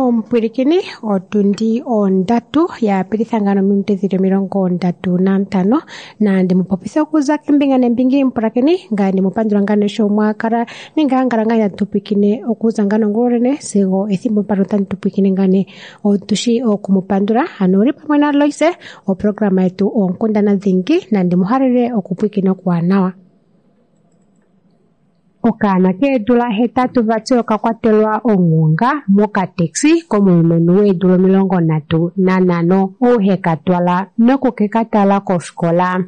Omupwilikini otundi ondatu ya pititha ngano ominute dhili 35 nandi mupopitha okuza kembinga nembinga mupulakeni ngaye ndimupandula ngano sho mwakala nenge angala ngaa tatu pwilikine okuza ngano ngulonene sigo ethimbo mpano tandi tupwilikine ngane otushi okumupandula. Ano uli pamwe na Loise oprograma yetu oonkundana dhingi nandi muhalele okupwilikina okuwanawa. Okaana keedula 8 vati okakwatelwa onghonga mokateksi komulumenhu weedula 35 ou heka twala nokukekatala kofikola.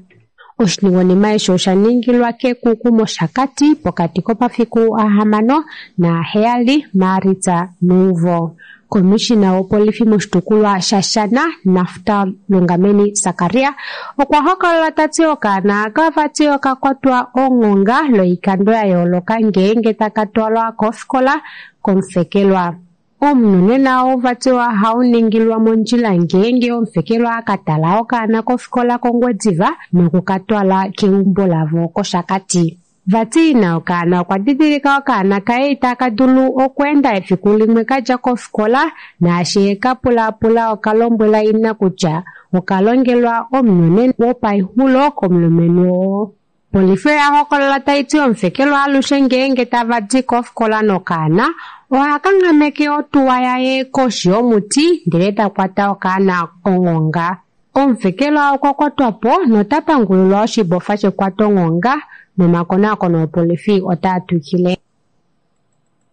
Oshiningwanima eshi osha ningilwa kEkuku mOshakati pokati komafiku 6 na7 Maalitsa nuumvo. Komishina wopolifi moshitukulwa shaShana Naftal Lungameni Sakaria okwa hokolola ta ti okaana aka vati okakwatwa onghonga loikando ya yooloka ngeenge taka twalwa kofikola komufekelwa. Omunhu nena ou vati ohauningilwa mondjila ngeenge omufekelwa aka tala okaana kofikola kOngwediva nokukatwala keumbo lavo kOshakati. Vati ina okaana okwa didilika okaana kaye itaka dulu okweenda efiku limwe kadja kofikola naashi eka pulaapula okalombwela ina kutya okalongelwa omunyonena wopaixulo komulumenhu oo. Polifi oya hokolola tai ti omufekelwa alushe ngeenge tava di kofikola nokaana oha kanghameke otuwa yaye koshi yomuti ndele ta kwata okaana onghonga. Omufekelwa okwa kwatwa po nota pangulilwa oshibofa shekwatonghonga nomakonakono opolifi otaa twikile.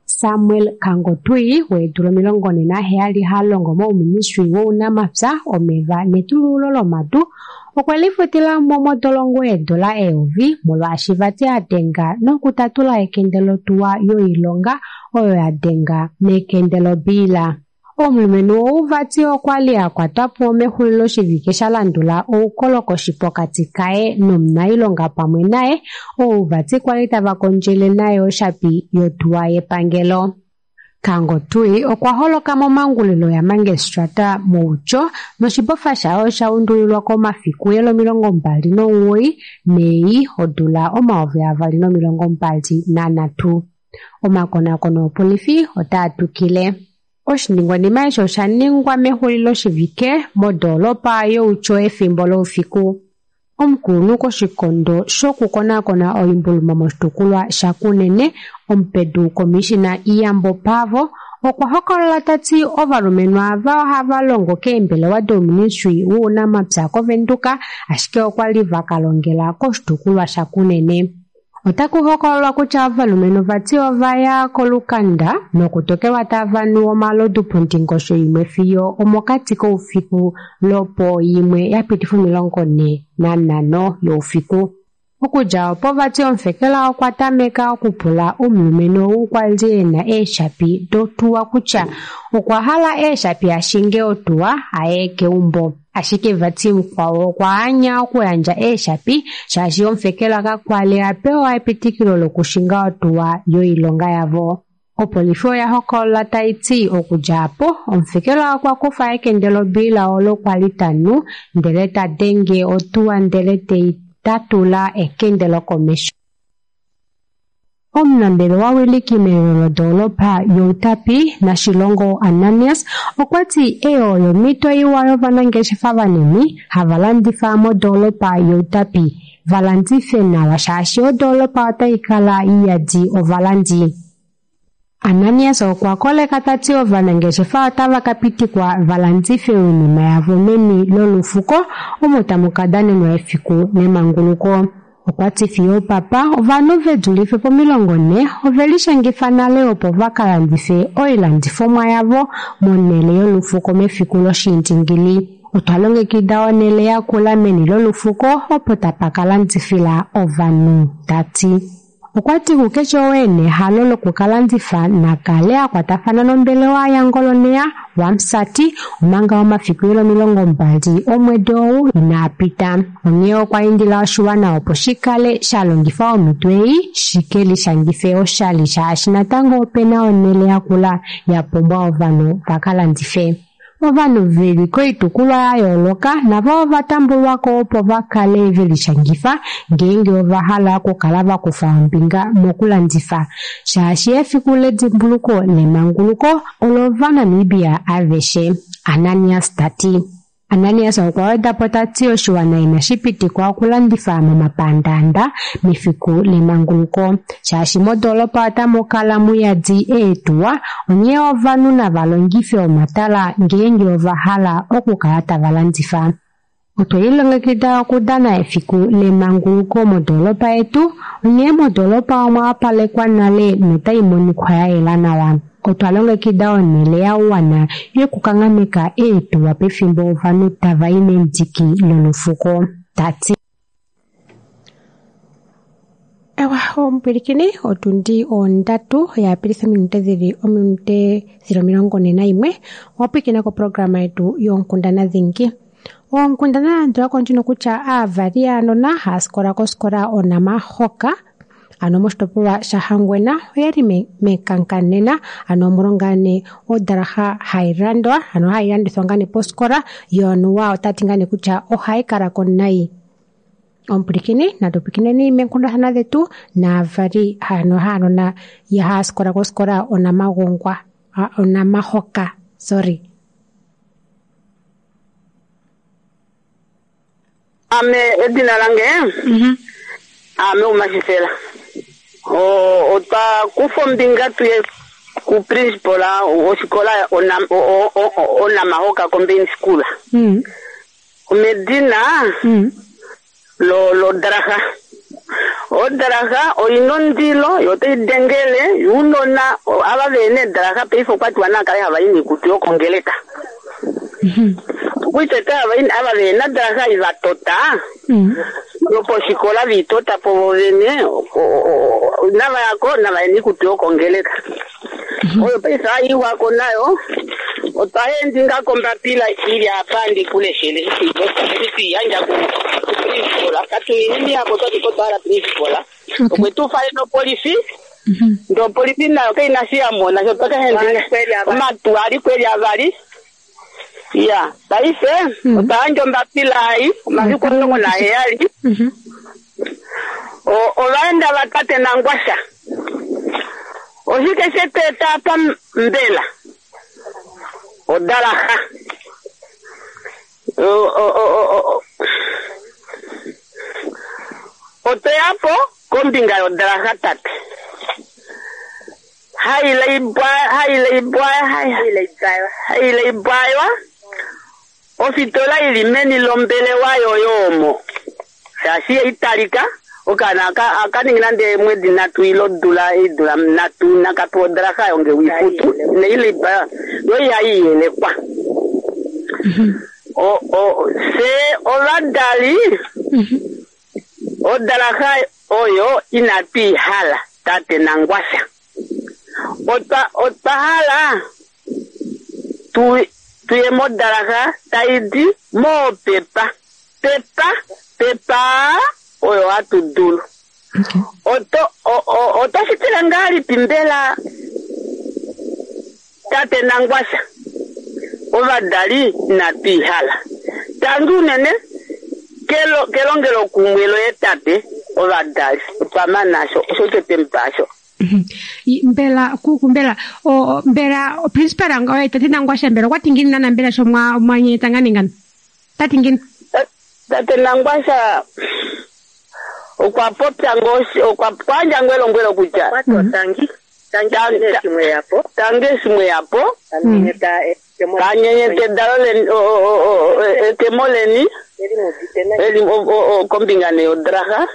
Samuel Kangotui weedula 47 ha longo mouministry wounamapya, omeva netulululo lomadu okwe lifutila mo modolongo eedula 1000 molwaashi vati a denga nokutatula ekende lotuwa yoilonga oyo ya denga mekende lobiila. Omulumenhu ou vati okwa li a kwatwa po mexuliloshivike sha landula oukolokoshi pokati kaye nomunailonga pamwe naye ou vati kwali tava kondjele naye oshapi yotuwa yepangelo. Kangotui okwa holoka momangulilo yamangestrata mOutjo noshibofa shaye osha undulilwa komafiku yelo 29 Mei odula 2023. Omakonakono opolifi otaa twikile. Oshiningwanima eshi osha ningwa mexuliloshivike modoolopa yOutjo efimbo loufiku. Omukulunhu koshikondo shokukonakona oimbuluma moshitukulwa shaKunene, omupedu komishina Iyambo Paavo, okwa hokolola ta ti ovalumenhu ava ohava longo keembelewa douministry wounamapya kOvenduka, ashike okwa li va ka longela koshitukulwa shaKunene. Otaku hokololwa kutya ovalumenhu vati ova ya kolukanda nokutokelwa tava nu omalodu pondingosho imwe fiyo omokati koufiku lopo imwe ya pitifa 45 youfiku. Okudja opo vati omufekelwa okwa tameka okupula omulumenhu ou kwa li e na eeshapi dotuwa kutya okwa hala eeshapi ashinge otuwa aye keumbo. Ashike vati mukwao okwa anya okuyandja eeshapi shaashi omufekelwa kakwali a pewa epitikilo lokushinga otuwa yoilonga yavo. Opolifi oya hokolola tai ti okudja apo omufekelwa okwa kufa ekende lobiila olo kwali ta nu ndele ta denge otuwa ndele tei tatula ekende lokomesho. Omunambelewa wiliki melelo lodoolopa yOutapi Nashilongo Ananias okwa ti eyo oyo omhito iwa yovanangeshefa vanini hava landifa modoolopa yOutapi va landife nawa shaashi odoolopa otai kala iyadi ovalandi. Ananias okwa koleka ta ti ovanangeshefa otava ka pitikwa va landife oinima yavo meni lolufuko omo tamu ka danenwa efiku lemanguluko. Okwa ti fiyo opapa ovanhu ve dulife po40 ove lishangifa nale opo va ka landife oilandifomwa yavo monhele yolufuko mefiku loshiindingili. Otwa longekida onhele yakula meni lolufuko opo tapa ka landifila ovanhu, ta ti. Okwa ti kukeshe oo e na ehalo lokukalandifa nakale a kwatafana nombelewa yaNgoloneya waMusati omanga omafiku eli 20 omwedi ou inaa pita. Onghee okwa indila oshiwana opo shi kale sha longifa omhito ei shi ke lishangife oshali shaashi natango ope na onhele yakula ya pumbwa ovanhu va ka landife. Ovanhu veli koitukulwa ya yooloka navo ova tambulwako opo va kale velishangifa ngeenge ova hala okukala va kufa ombinga mokulandifa, shaashi efiku ledimbuluko lemanguluko olOvanamibia aveshe, Ananias ta ti. Ananias okwa weda po ta ti oshiwana inashi pitikwa okulandifa momapandaanda mefiku lemanguluko, shaashi modoolopa otamu kala muyadi eetuwa, onghee ovanhu nava longife omatala ngeenge ova hala okukala tava landifa. Otwe lilongekida okudana efiku lemanguluko modoolopa yetu, onghee modoolopa omwa wapalekwa nale notai monika ya yela nawa. Otwa longekida onhele ya wana yokukanghameka eetuwa pefimbo ovanhu tava i mendiki lolufuko, ta ti. Ewa, omupwilikini, otundi ondatu ya pilitha ominute dhili 41. Owa pwilikina koprograma yetu yoonkundana dhingi. Oonkundana landula ko ndjino kutya aavali yaanona haya sikola kosikola Onamahoka ano moshitopolwa shaHangwena oyali mekanka nena ano omolwa nee odalaha hayi landwa ano hayi landithwa ngaa nee posikola yo anuwa otati ngaa nee kutya ohayi kalako nayi. Omupwilikini natu pwikineni meenkundathana dhetu naavali ano haanona haya sikola kosikola Onamagongwa Onamahoka sorry. Ame edina lange ame Umashifela. Otwa kufa ombinga tuye ku principal wofikola Onamahoka Combined School. Omedina lodraha. Odraha oina ondilo yo otai dengele younona ava vena eedraha paife okwatiwa naakale hava i noikutu yokongeleka. Okuiteta ava vena draha ivatota yoposhikola viitota po vovene navayako navaye noikutu yokongeleka. Oyo paife haiwako nayo otwa endinga kombapila ili apa ndikuleshele twiyandja ku principal katunini miako twati kotwala principal okwe tufale nopolifi ndo opolifi nayo kaina shi yamona sho twakahendinga omatu ali kweli avali ya paife otwa yandja ombapila ai omafiku 17 ovaenda vatate Nangwasha oshike shetweeta apa mbela odalaha otweyapo kombinga yodalaha tate hailaibwaywa ofitola ili meni lombelewa yoyo omo shaashi italika okaana akaningi nande mwedi nhatu ile odula eedula nhatu nakapewa odraha yonge wifutu neilibwaywa yo ihaiyelekwa. Fye ovadali odalaha oyo inatu ihala tate Nangwasha. Otwa hala tuye modalaha taidi moopepa pepa pepa oyo hatu dulu. Otoshitile ngahelipi mbela tate Nangwasha? Ovadali inatu ihala. Tangi unene kelongelo kumwe loye tate ovadali otwa mana osho twetemupasho. Mbela kuku mbela mbela principal oye tate Nangwasha mbela okwa tingini nana mbela sho mwanyeta ngani ngani tati ngini tate Nangwasha okwa popya ngo okwa kwandja ngo elombwelo kutya tangi shimwe yapo tanyenyeta edalo leni ekemo leni eli kombinga neyodraha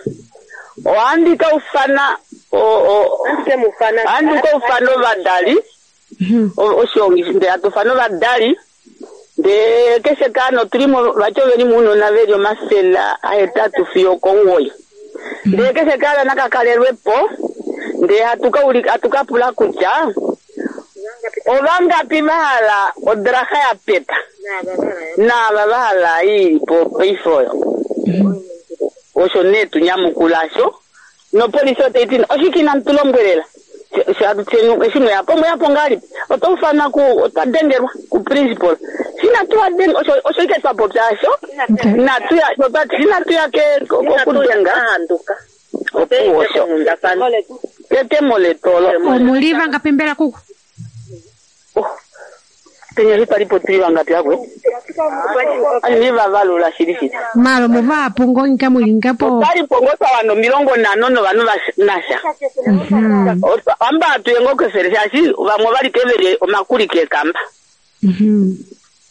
ohandi kaufana ohandi kaufana ovadali oshiongi ndee hatufana ovadali ndee keshe kaana otulimo vati oveli muunona veli 800 fiyo 9 ndee keshe kaana nakakalelwepo ndee hatukapula kutya ovangapi vahala odraha ya pepa naava vahala ilipo paife oyo osho nee tunyamukulasho nopolisi otaiti oshike inamu tulombwelela eshi mweyapo mweyapo ngahelipi otoufana otwa dengelwa ku principal Inatu osho osho ike twa popya asho. Inatu ya inatu ya ke kokudenga. Ahanduka. Opuwo osho. Ketemo letu olo. Omuli vangapi mbela kuku? Oh. Penya eshi twali po tuli vangapi akwe? Ani vavalula shili shili. Malo muvahapu ngo inga muli ngapo. Otwali po ngo twa 50 novanhu nasha. Amba atuye ngo kefele shaashi vamwe ovali kevele omakuli kekamba.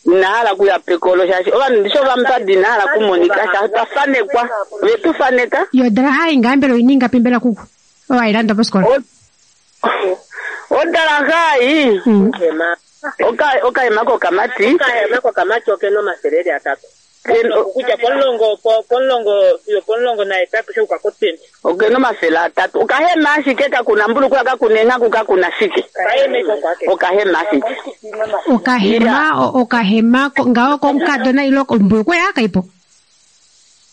Inahala kuya pekolo shaashi ovanhu ndisho vamupadi inahala kumonika shaashi twafanekwa vetufaneka. Yo dala hai ngambelo ininga pimbela kuku. Owailanda posikola. Odala hai. Okahema kokamati. Okahema kokamati okena 300. Kutya pomulongo fiyo 18 sho ukakoteni. Okena 300. Okahema ashike kakuna mbulukula kakuna enghaku kakuna shike. Okahema ashike. Okahema ngawo komukadona ilo ombulukula yakaipo.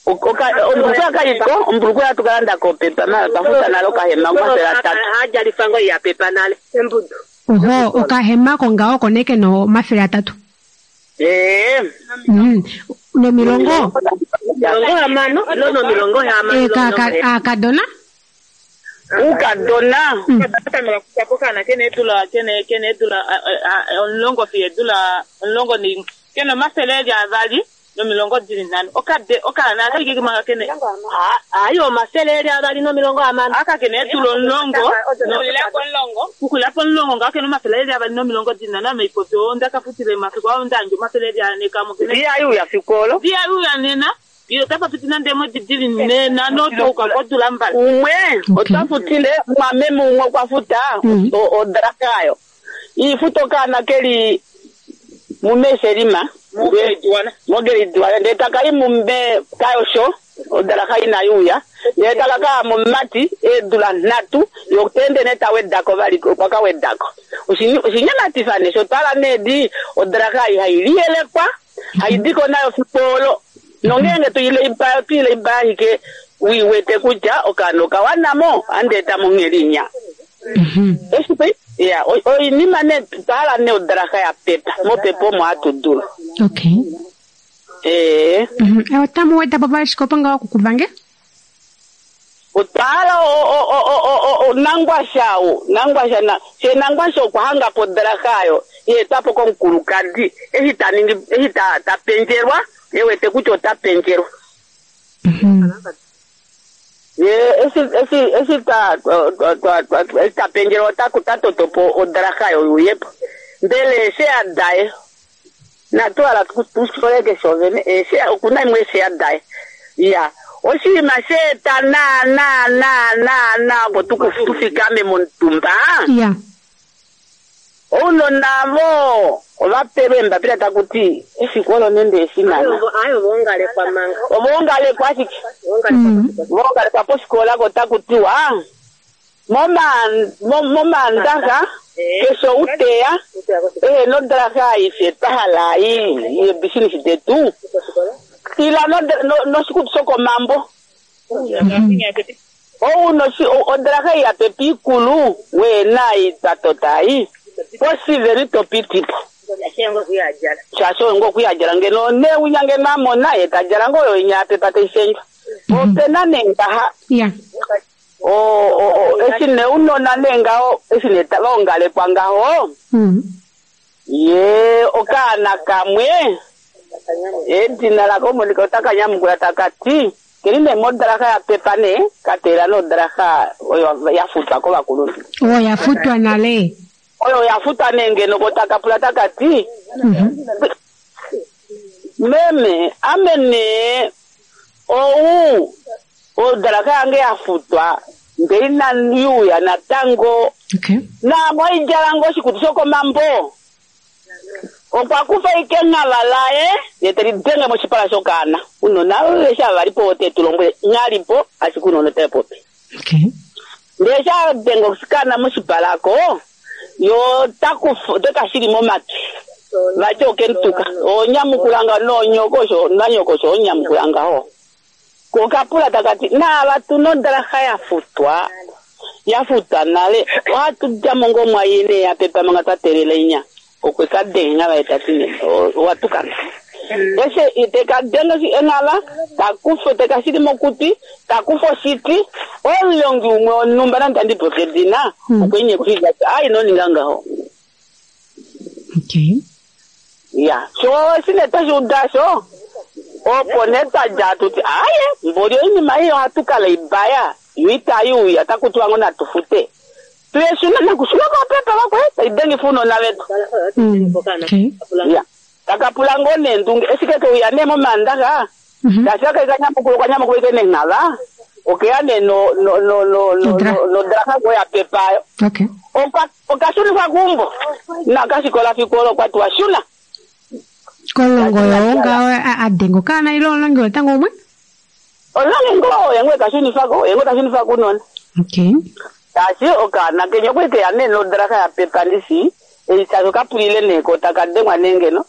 Ombulukula kaipo, ombulukula tukalanda kopepa mara twafuta nalo okahema 300. Hajalifango ya pepa nale. Embudu. Oho, okahema ko ngawo koneke no 300. Eh. Nomilongo. Milongo hamano, no milongo hamano. Akadona? Ukadona. Katamela kukana kene tula kene kene tula onlongo fiye tula onlongo ni kene 200 nomilongo 45. Okade okana kike manga kene. Ayo 200 nomilongo hamano. Aka kene tula onlongo. Kukula ponlongo ngake no 200 nomilongo 45 meipoto ndaka futile mafiko au ndanjo 400 kamo kene. Dia yu ya fikolo. Dia yu ya nena. Iyo tapa fitina ndemo didili nena no toka kodula mbali. Umwe otafutile mwameme umwe kwafuta odrakayo. Ifuto kana keli mumeshelima. Mogerijuana. Ndetaka imumbe kayosho odraka ina yuya. Ndetaka ka mumati edula natu yotende neta wedako bali kwaka wedako. Oshinyamatifane shotala nedi odraka hailiyelekwa haidiko nayo fikolo. Nongenge tuile ibayo tuile ibayo ke wiwete kutya okano kawanamo andeta mongelinya. Esipe ya oinima ne tala ne odraka ya pepa mopepo mo atudula. Okay. Eh. Otamu weta papa shikopa ngawo kukuvange? Otala o nangwasha o nangwasha na she nangwasha okuhanga podrakayo ye tapo konkulukadi ehita ningi ehita tapenjerwa ewete kutya otapenjerwa. Ye esi ta tapenjerwa takutatotopo odrakayo uyepo ndele she adaye natwala tusoleke shovene she okuna imwe she adaye ya oshinima sheeta na na na na na opo tufikame momutumba. Ya. Ounona vo ovapelwe embapila takuti efiku olo nende efinana. Ayo vongalekwa manga. Ovongalekwa ashike. Vongalekwa posikola ko takutiwa momandaxa kesho uteya nodraka ife twahala yebisinisi detu. Tila noshikutu shokomambo. Ou odraka ya pepi ikulu wena itatotai. Posiveri topitipo. Shasho ngo kuyajala ngeno ne unyange mamona yetajala ngoyo inyape pate ishenjwa. Opena nengaha. Yeah. O esine unona nengao esine vaongalekwa ngaho. Ye okana kamwe. Edina lako monika otakanyamukula takati kelinde modraka ya pepa ne katera no draka oyo yafutwa ko vakulunhu. Oh yafutwa nale. Oyo yafutwa nenge nokotakapula takati. Meme amene ou odraka yange yafutwa ndeina yuya natango. Okay. Na moijalango shikutu shokomambo. Okwakufa ikeng'ala laye yeteli denge moshipala shokana unona lesha valipo wote tulongwe ng'alipo ashike unona tepopi. Okay. Ndesha denge osikana moshipalako yo takufu tekashili momati vacho kentuka onyamukulanga nonyokosho nanyokosho onyamukulanga ho kokapula takati na vatu nodraha yafutwa nale watudja mongo mwayine ya pepa manga twatelele inya. Okwe ka denga vaye ta ti nee, owa tukana. Eshi te ka denge enghava, ta kufa te ka shili mokutwi, ta kufa oshiti, omulongi umwe wonhumba nande itandi popi edina, okwe mu nyeka oshiti ta ti, aa ino ninga ngaho. Okay. Ya, sho eshi nee twe shi uda osho, opo nee twa dja hatu ti, aaye, mboli oinima ei ohatu ka laibaya, yo itai uya, otaku tiwa ngoo natu fute. Tuye shuna nakushuna ko pepa vakwe tai dengifa ounona vetu. Okay. Ya, taka pula ngoo neendunge, eshi ke uya nee momaandaxa, tashi aka kanyamukula okanyamukula ike nenghava, okeya nee no no no no no Odra. nodraha ngoo ya pepa ayo. Okay. Okashunifwa keumbo. Nakashikola fiku olo okwa tiwa shuna. Kolongo yo ngaho a denga okaana ile omulongi wotango umwe? Omulongi ngoo oye ngoo ekashunifako, oye ngoo tashunifa kounona. Okay. Tashi okaana kenya okwali keya nee nodraha ya pepa ndishi, ei tashi okapulile nee ko taka dengwa nee ngeno,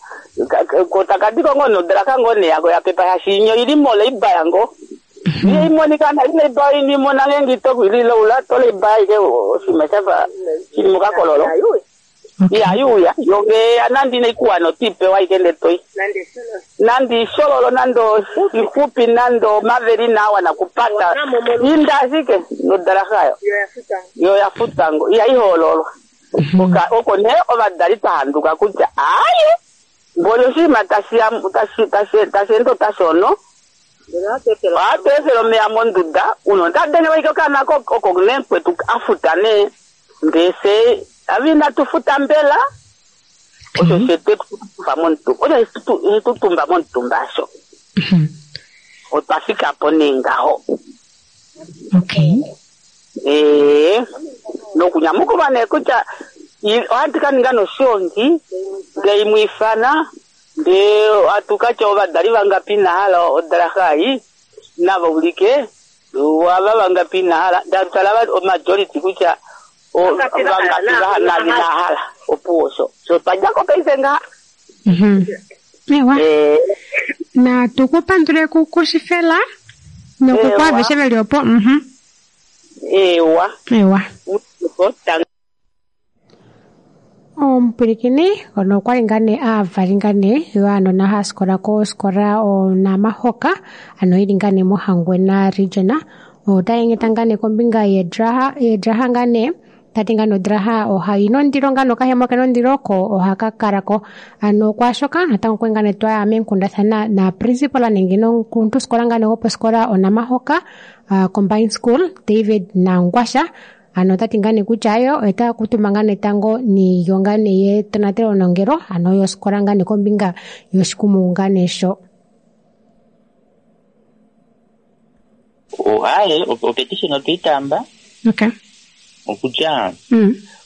ko taka diko ngoo nodraha ngoo nee yako ya pepa shaashi inyo ili mo leibaya ngoo. Iye imonika na ile ibaya ini imona ngeenge ito lilaula to leibaya ike oshinima shafa shili mokakololo. Okay. Iya yuya, yo nge nande ina ikuwana otiipewa ike ndele toi. Nande ishololo nande ixupi nande omaveli inaa wana kupata. Inda ashike nodraha yo. Yo ya futwa ngo, ihai hoololwa. Oko nee ovadali twa handuka kutya aaye, mboli oshinima tashi ya, tashi, tashi, tashi ende otashono. Ohatu efele omeya monduda, uno ota denge ike okaana oko nee kwetu a futa nee. Ndee fye, ave inatu futa mbela, osho shetu etutumba momutumba, osho shetutumba momutumba asho. Otwa fika po nee ngaho. Okay. Nokunyamukulwa nee kutya ohatu ka ninga noshiongi, ndee imwe ifana, ndee ohatu ka tya ovadali vangapi ina hala odraha ei, nava ulike, ava vangapi ina hala, ndee hatu tala majority kutya vangapi va ina hala, opuwo osho. So twa dja ko paife ngaha. Ewa. Natu ku pandule kushifela, nokukwaveshe veli opo. Ewa. Ewa. Omupwilikini ono okwali ngaa nee aavali ngaa nee yoanona haya sikola kosikola Onamahoka, ano ili ngaa nee mOhangwena region. Otaya nyenyeta ngaa nee kombinga yedraha ngaa nee, tati ngaa nee odraha ohayi nondilo ngaa nokahema kena ondilo ko ohaka kalako. Ano kwaashoka natango okwali ngaa nee twaya meenkundathana na principal nenge nomukuluntusikola ngaa nee goposikola Onamahoka, Combined School, David Nangwasha. Ano tati ngaa nee kutya yo otaya kuutumba ngaa nee tango niilyo ngaa nee yetonatelo nongelo, ano yosikola ngaa nee kombinga yoshikumungu ngaa nee sho. Aye, opetition otweyi taamba. Okay. Okutya,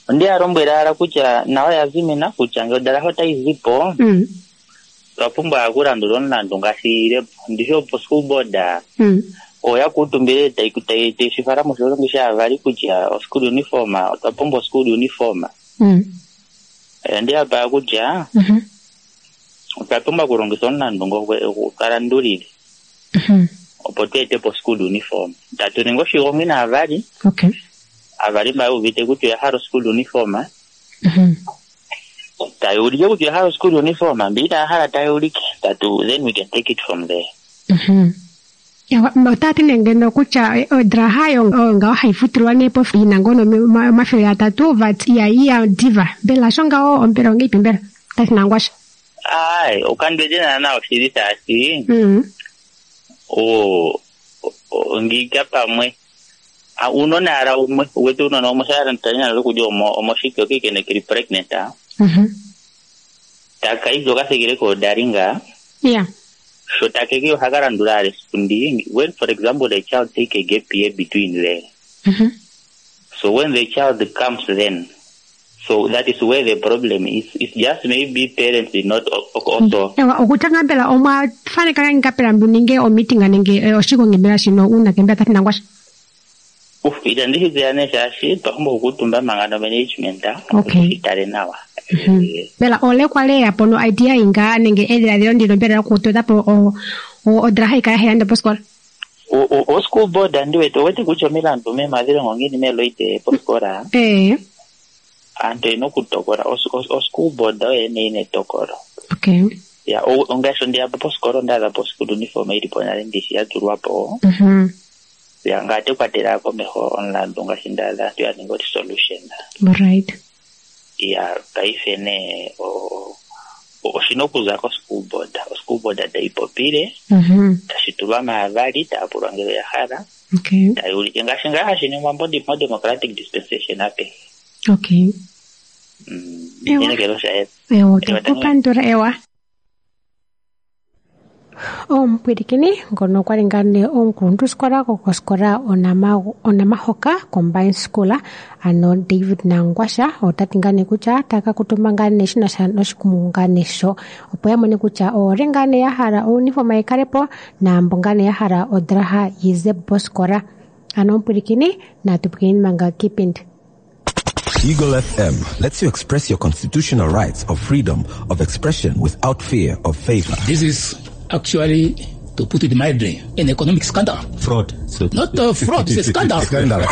ondi ya lombwela ala kutya nayo ya zimina kutya ngele odraha otayi zi po, otwa pumbwa okulandula omulandu ngaashi ile po. Ndishi opo school board, oya kuutumbile tayi shi fala moshilongo shaavali kutya oschool uniform, otwa pumbwa oschool uniform. Ondi ya pa kutya, otwa pumbwa okulongitha omulandu ngo kalandulile. Opo tu ete po school uniform. Tatu ningi oshigongi naavali. Okay. Aavali mba yuuvite kutya oya hala school uniform. Taya ulike kutya oya hala school uniform, mbi inaya hala taya ulike. Tatu, then we can take it from there. Otaya ti nee ngeno kutya odraha yo ngaho hayi futilwa nee po yina ngono 300 vat ihayi ya diva. Mbela sho ngaho ombela ongeipi mbela? Tati Nangwasha. Ai, okandwete naana oshili shaashi. Ngika pamwe. Unona ala umwe, wetu unona umwe shara ntanya lokuja omoshike okike ne kiri pregnant, ah. Taka izo kasekele ko daringa. Yeah. So takeke hakalandula ale sikundi. When for example the child take a gap year between there. So when the child comes then, so that is where the problem is. It's just maybe parents did not also. Ewa, okutanga mbela omwa faneka ngapela mbuninge o meeting nenge oshigongi mbela shino una kembela tati Nangwasha. Uf, itandi shizeyane shaashi twapumbwa okukuutumba manga no management, ah, Okay. tushitale nawa. Mbela ole kwale yapo no idea inga nenge edhiladhilo ndino mbela lokutota po odraha ikala hayi landa posikola. O school board andi wete, owete kutya omilandu memadhilongo ngiini meloite posikola. Aantu oyena okutokola, oschool board oyo yene yina etokolo. Okay. Ya, ongaashi ondeya po posikola onda adha po school uniform yili po nale ndishi ya tulwa po. Ya, ngaa te kwatela komeho omulandu ngaashi nda adha aantu ya ninga resolution. Right. Ya, paife nee oshina okuza ko school board. O school board tayi popile, tashi tulwa maavali, taya pulwa ngele oya hala. Okay. Tayi ulike ngaashi ngaa hashi ningwa mo democratic dispensation apehe. Okay. Ewa. Inekelo sha yela. Ewa, otakupandula ewa. Omupwilikini ngono okwali ngaa nee omukuluntusikola gokosikola Onamahoka Combined School, ano David Nangwasha, ota ti ngaa nee kutya taka kutumba ngaa nee shina sha noshikumungu ngaa nee sho, opo ya mone kutya oolye ngaa nee ya hala ouniform yi kale po naambo ngaa nee ya hala odraha yi ze po posikola. Ano omupwilikini natu pwilikini manga kiipindi. Eagle FM lets you express your constitutional rights of freedom of expression without fear of favor. This is actually, to put it mildly, an economic scandal. Fraud. So Not a fraud, it's a scandal. Scandal.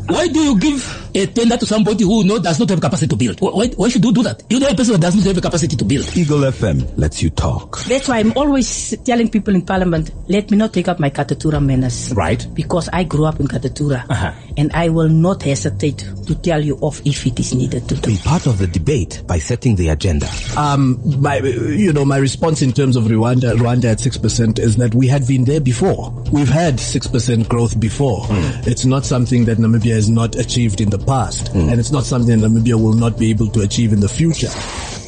Why do you give a tender to somebody who does not have capacity to build? Why should you do that? You know a person that does not have a capacity to build. Eagle FM lets you talk. That's why I'm always telling people in Parliament, let me not take up my Katutura manners. Right. Because I grew up in Katutura. And I will not hesitate to tell you off if it is needed to do. Be part of the debate by setting the agenda. My response in terms of Rwanda at 6% is that we had been there before. We've had 6% growth before. It's not something that Namibia has not achieved in the past, and it's not something that Namibia will not be able to achieve in the future.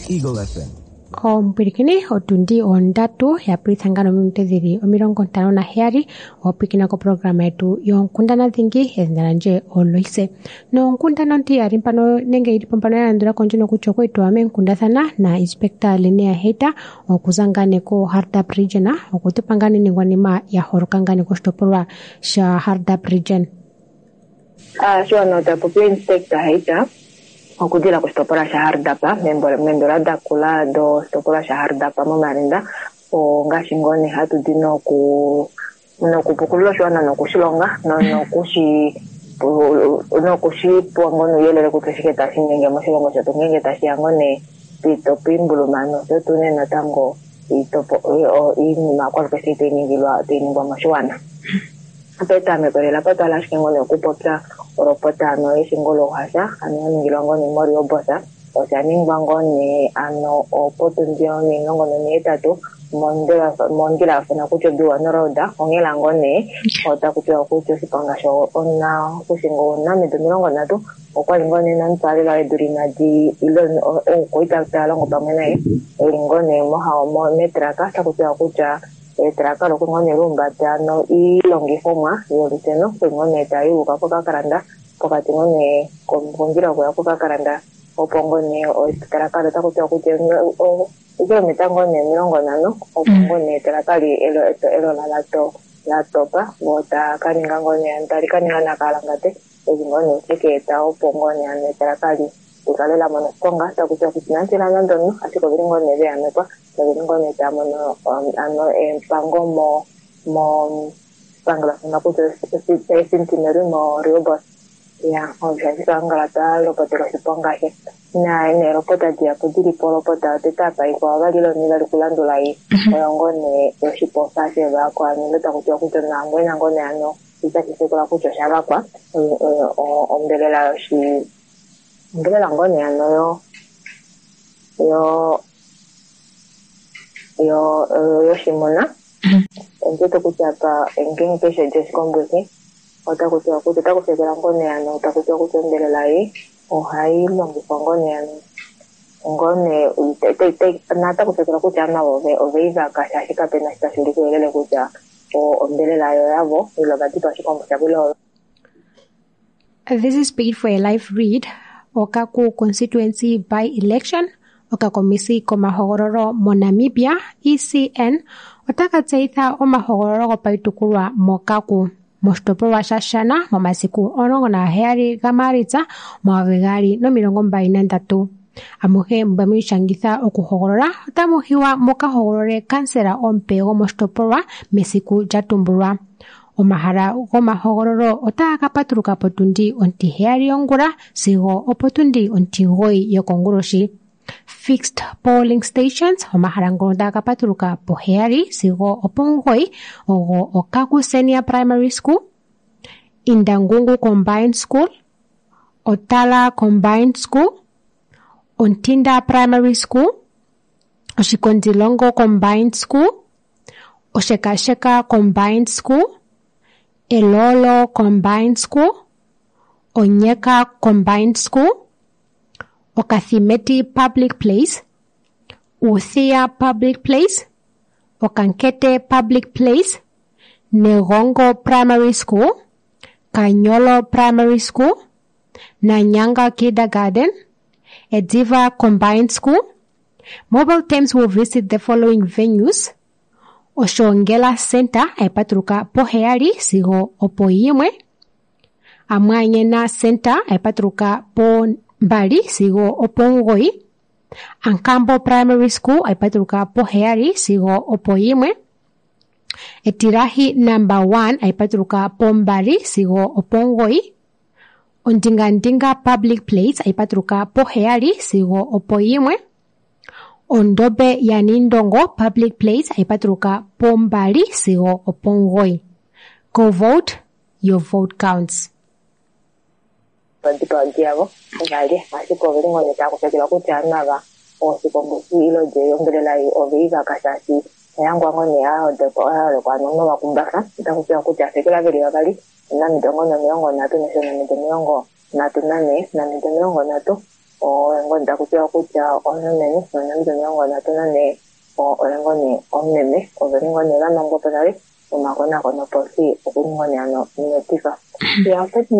Eagle FM. Omupwilikini, otundi 3 yapulitha ngano ominute dhili 57, owapwilikina koprograma yetu yonkundana dhingi, edhina landje Oloise. Nonkundana ontiyali mpano nenge ili po mpano ya landula ko ndjino kutya okwa meenkundathana na Inspector Linnea Heita okuza ngane ko Hardap Region, okutupa ngane iiningwanima ya holoka ngane koshitopolwa sha Hardap Region. Shiwana ota popi Inspector Heita okudila koshitopolwa sha Hardap membolo dakula doshitopolwa sha Hardap moMarinda, ongaashi ngoo nee hatu di nokupukulula oshiwana nokushilonga nokushipewa ngoo nuuyelele kutya shike tashi inyenge moshilongo shetu ngenge tashi ya ngoo nee piitopo iimbuluma nosho tuu nee natango iinima yakwalukeshe tayi ningwa moshiwana. Petameko lela patwala ashike ngoo nee okupopya olopota ano yeshingo louhasha ano ya ningilwa ngoo nee moRehoboth, osha ningwa ngoo nee ano opotundi 18 mondjila yafuna kutya oBiwano Road, onghela ngoo nee otaku tiwa kutya oshiponga sho ona okushinga omunamido 30 okwali ngoo nee nomutwaalelwa wedu inadi ile oukoita taya longo pamwe naye eli ngoo nee metraka, otaku tiwa kutya etraka loku ngoo nee lumbata ano iilongifomwa yolusheno okuli ngoo nee tayi uka pokakalanda pokati ngoo nee kondjila yokuya pokakalanda, opo ngoo nee etraka otaku tiwa kutya okilometa ngoo nee 50 opo ngoo nee etraka elola latopa vo takaninga ngoo nee tali kaninga nakalangate eli ngoo nee shekeeta opo ngoo nee ano etraka likale la mona oshiponga, otaku tiwa kutya inali tila nande omunhu, ashike oveli ngoo nee veamekwa noveli ngoo nee tava mono ano empango moshipangelo shino kutya eCentenary moRehoboth. Ya, osha kangala twa lopotela oshiponga she neelopota dihapu dili po olopota yotete apa ikwao vali lonivali kulandula ei oyo ngoo nee yoshipofa shevako ano taku tiwa kutya nangwena ngoo nee ano itashi sekula kutya osha vakwa ombelela yoshi ombelela ngoo nee ano yo yo yo yoshimuna ondiwete kutya apa ngenge keshe lyoshikombuki otaku tiwa kutya otaku fekela ngoo nee ano taku tiwa kutya ombelela ei ohayi longifwa ngoo nee ano ngoo nee nataku fekela kutya ano ovei vaka shaashi kapena shi tashi ulike uuyelele kutya ombelela yo yavo ile ovadipa oshikombo shavo ile. This is paid for a live read. Okaku constituency by election. Okakomisi komahogololo moNamibia ECN otaka tseyitha omahogololo gopaitukulwa mOkaku moshitopolwa shaShana momasiku 17 gaMaalitsa 2023. Amuhe mba mwiishangitha okuhogolola otamu hiwa muka hogolole kansela omupe gomoshitopolwa mesiku lya tumbulwa. Omahala gomahogololo otaga ka patuluka potundi 7:00 yongula sigo opotundi 9:00 yokonguloshi. Fixed polling stations omahala ngono taga ka patuluka po7:00 sigo opo9:00 ogo Okaku Senior Primary School, Indangungu Combined School, Otala Combined School, Ontinda Primary School, Oshikondilongo Combined School, Oshekasheka Combined School, Elolo Combined School, Onyeka Combined School, Okathimeti Public Place, Uthia Public Place, Okankete Public Place, Negongo Primary School, Kanyolo Primary School, Nanyanga Kindergarten, Ediva Combined School. Mobile teams will visit the following venues: Oshongela Center hayi patuluka po7:00 sigo opo1:00, Amwanyena Center hayi patuluka po2:00 sigo opo9:00, Ankambo Primary School hayi patuluka po7:00 sigo opo1:00, Etirahi number 1 hayi patuluka po2:00 sigo opo9:00, Ondingandinga Public Place hayi patuluka po7:00 sigo opo1:00, Ondobe yaNindongo Public Place hayi patuluka po2:00 sigo opo9:00. Go vote, your vote counts. Vadipawa yavo ovali ashike oveli ngoo nee tava kufekelwa kutya nava oshikombusi ilo lyombelela oveivaka shaashi oyangwa ngoo nee yaholekwa novakumbafa otaku tiwa kutya afekelwa veli vavali omunamido ngoo nee 30 nosho omunamido 34 omunamido 30 oye ngoo nee taku tiwa kutya omulumenhu nomunamido 34 oye ngoo nee omumeme oveli ngoo nee vamangwa po nale omakonakono opolifi okuli ngoo nee ano metifa.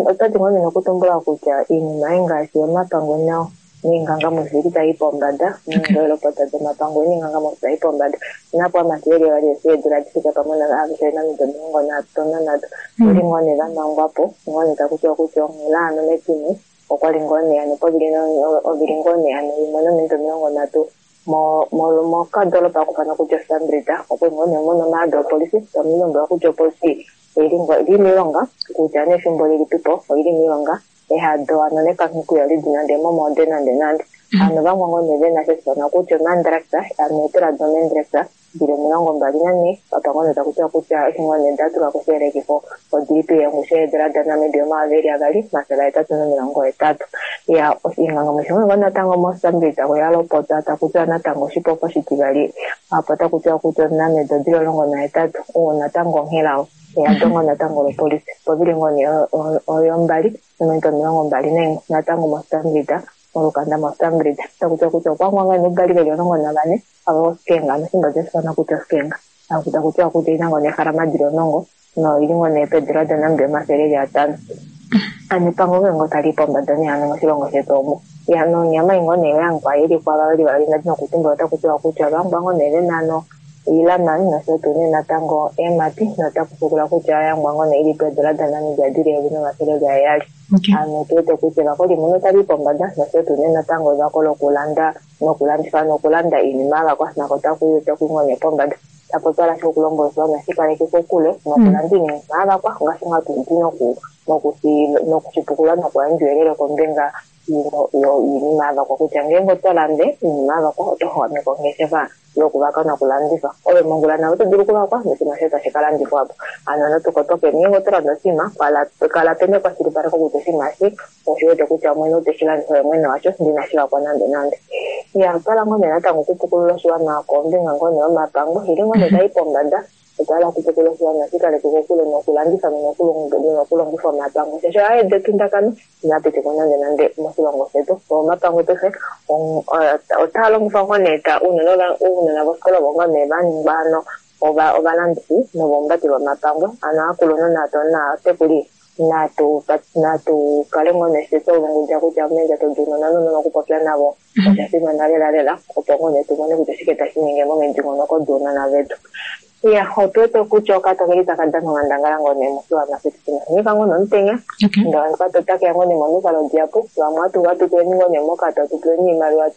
Otati ngoo nee nokutumbula kutya iinima ngaashi omapangwe nao niingangamwifi ili tayi pombada neelopota domapangwe niingangamwifi tayi pombada napo amati veli vali eedula difika pamwe aveshe namido 33 oli ngoo nee vamangwapo ngoo nee takutiwa kutya onghela ano metine okwali ngoo nee ano ovili ngoo nee ano 1:30 mokadolopa akufana kutya Stambrita okwali ngoo nee muna omaado opolifi tamulombwelwa kutya opolifi oili miilonga kutya nefimbo lilipipo oili miilonga ehado ano nekanhuku yalidi nande momode nande nande ano vamwe ngoo nee vena sheshifana kutya omandraxa ano eetula domandraxa dili 24 apa ngoo nee takutiwa kutya eshi ngoo nee datulwa koshiyelekifo odilipi yongushu yeedula daNamibia 2880. Ya oshingangamwifi ngoo natango moSambia oyalopota takutiwa natango oshipofa oshitivali apo takutiwa kutya omunamido dili 18 oo natango onghela eyadongo natango lopolisi povili ngoo nee oyombali nominute 21 natango moSambia molukanda moSambia takutiwa kutya okwangwanga nobali veli 14 ava oskenga nofimbo jeshifana kutya oskenga takutiwa kutya ina ngoo nee ehalama dili 10 noili ngoo nee peedula daNamibia 500. Ano epango ngoo tali pombada nee ano moshilongo shetu omu. Ya nonyama ingoo nee yangwa ili kwava veli vali nadi nokutumbula otakutiwa kutya vangwa ngoo nee vena ano ilamani nosho tuu nee natango eemati notakufukula kutya yangwa ngoo nee ili peedula daNamibia dili 1700. Ano tuwete kutya evako limwe otali pombada nosho tuu nee natango evako lokulanda nokulandifa nokulanda iinima yavakwa nako taku ngoo nee pombada. Tapo twala shi okulonga oshiwana shikaleke kokule nokulanda iinima yavakwa ngaashi nga tudi nokushipukula nokuyandja ouyelele kombinga yoinima yavakwa kutya ngeenge oto lande iinima yavakwa oto xwameka ongeshefa yokuvaka nokulandifa ove mongula nawe oto dulu okuvakwa noshinima shoye tashi kalandifwapo. Ano natukotoke ngeenge oto landa oshinima kala pena ekwashilipaleko kutya oshinima eshi oshiwete kutya mwene oteshi landifa oye mwene washo ndinashi vakwa nande nande. Ya otwala ngoo nee natango okupukulula oshiwana kombinga ngoo nee yomapango ili ngoo nee tai pombada otwala okupukulula oshiwana shikaleke kokule nokulandifa nokulongifa omapango shaashi ohayeeta etundakano inapitikwa nande nande moshilongo shetu. Omapango paife otaa longifwa ngoo nee ounona vofikola ovo ngoo nee vaningwa ano ovalandifi novombati vomapango ano aakulunhu naatekuli natu kale ngoo nee twalongudja kutya meendjato dounona nounona okupopya navo osha fimana lela lela opo ngoo nee tumone kutya oshike tashi ningi momidingonoko dounona vetu. Ya otuwete kutya okatokeli taka dana onghandangala ngoo nee moshiwana shetu shina ngoo nomutenya ndee okato otakeya ngoo nee momikalo dihapu vamwe ohatu tuleni ngoo nee mokato hatutuleni iimaliwa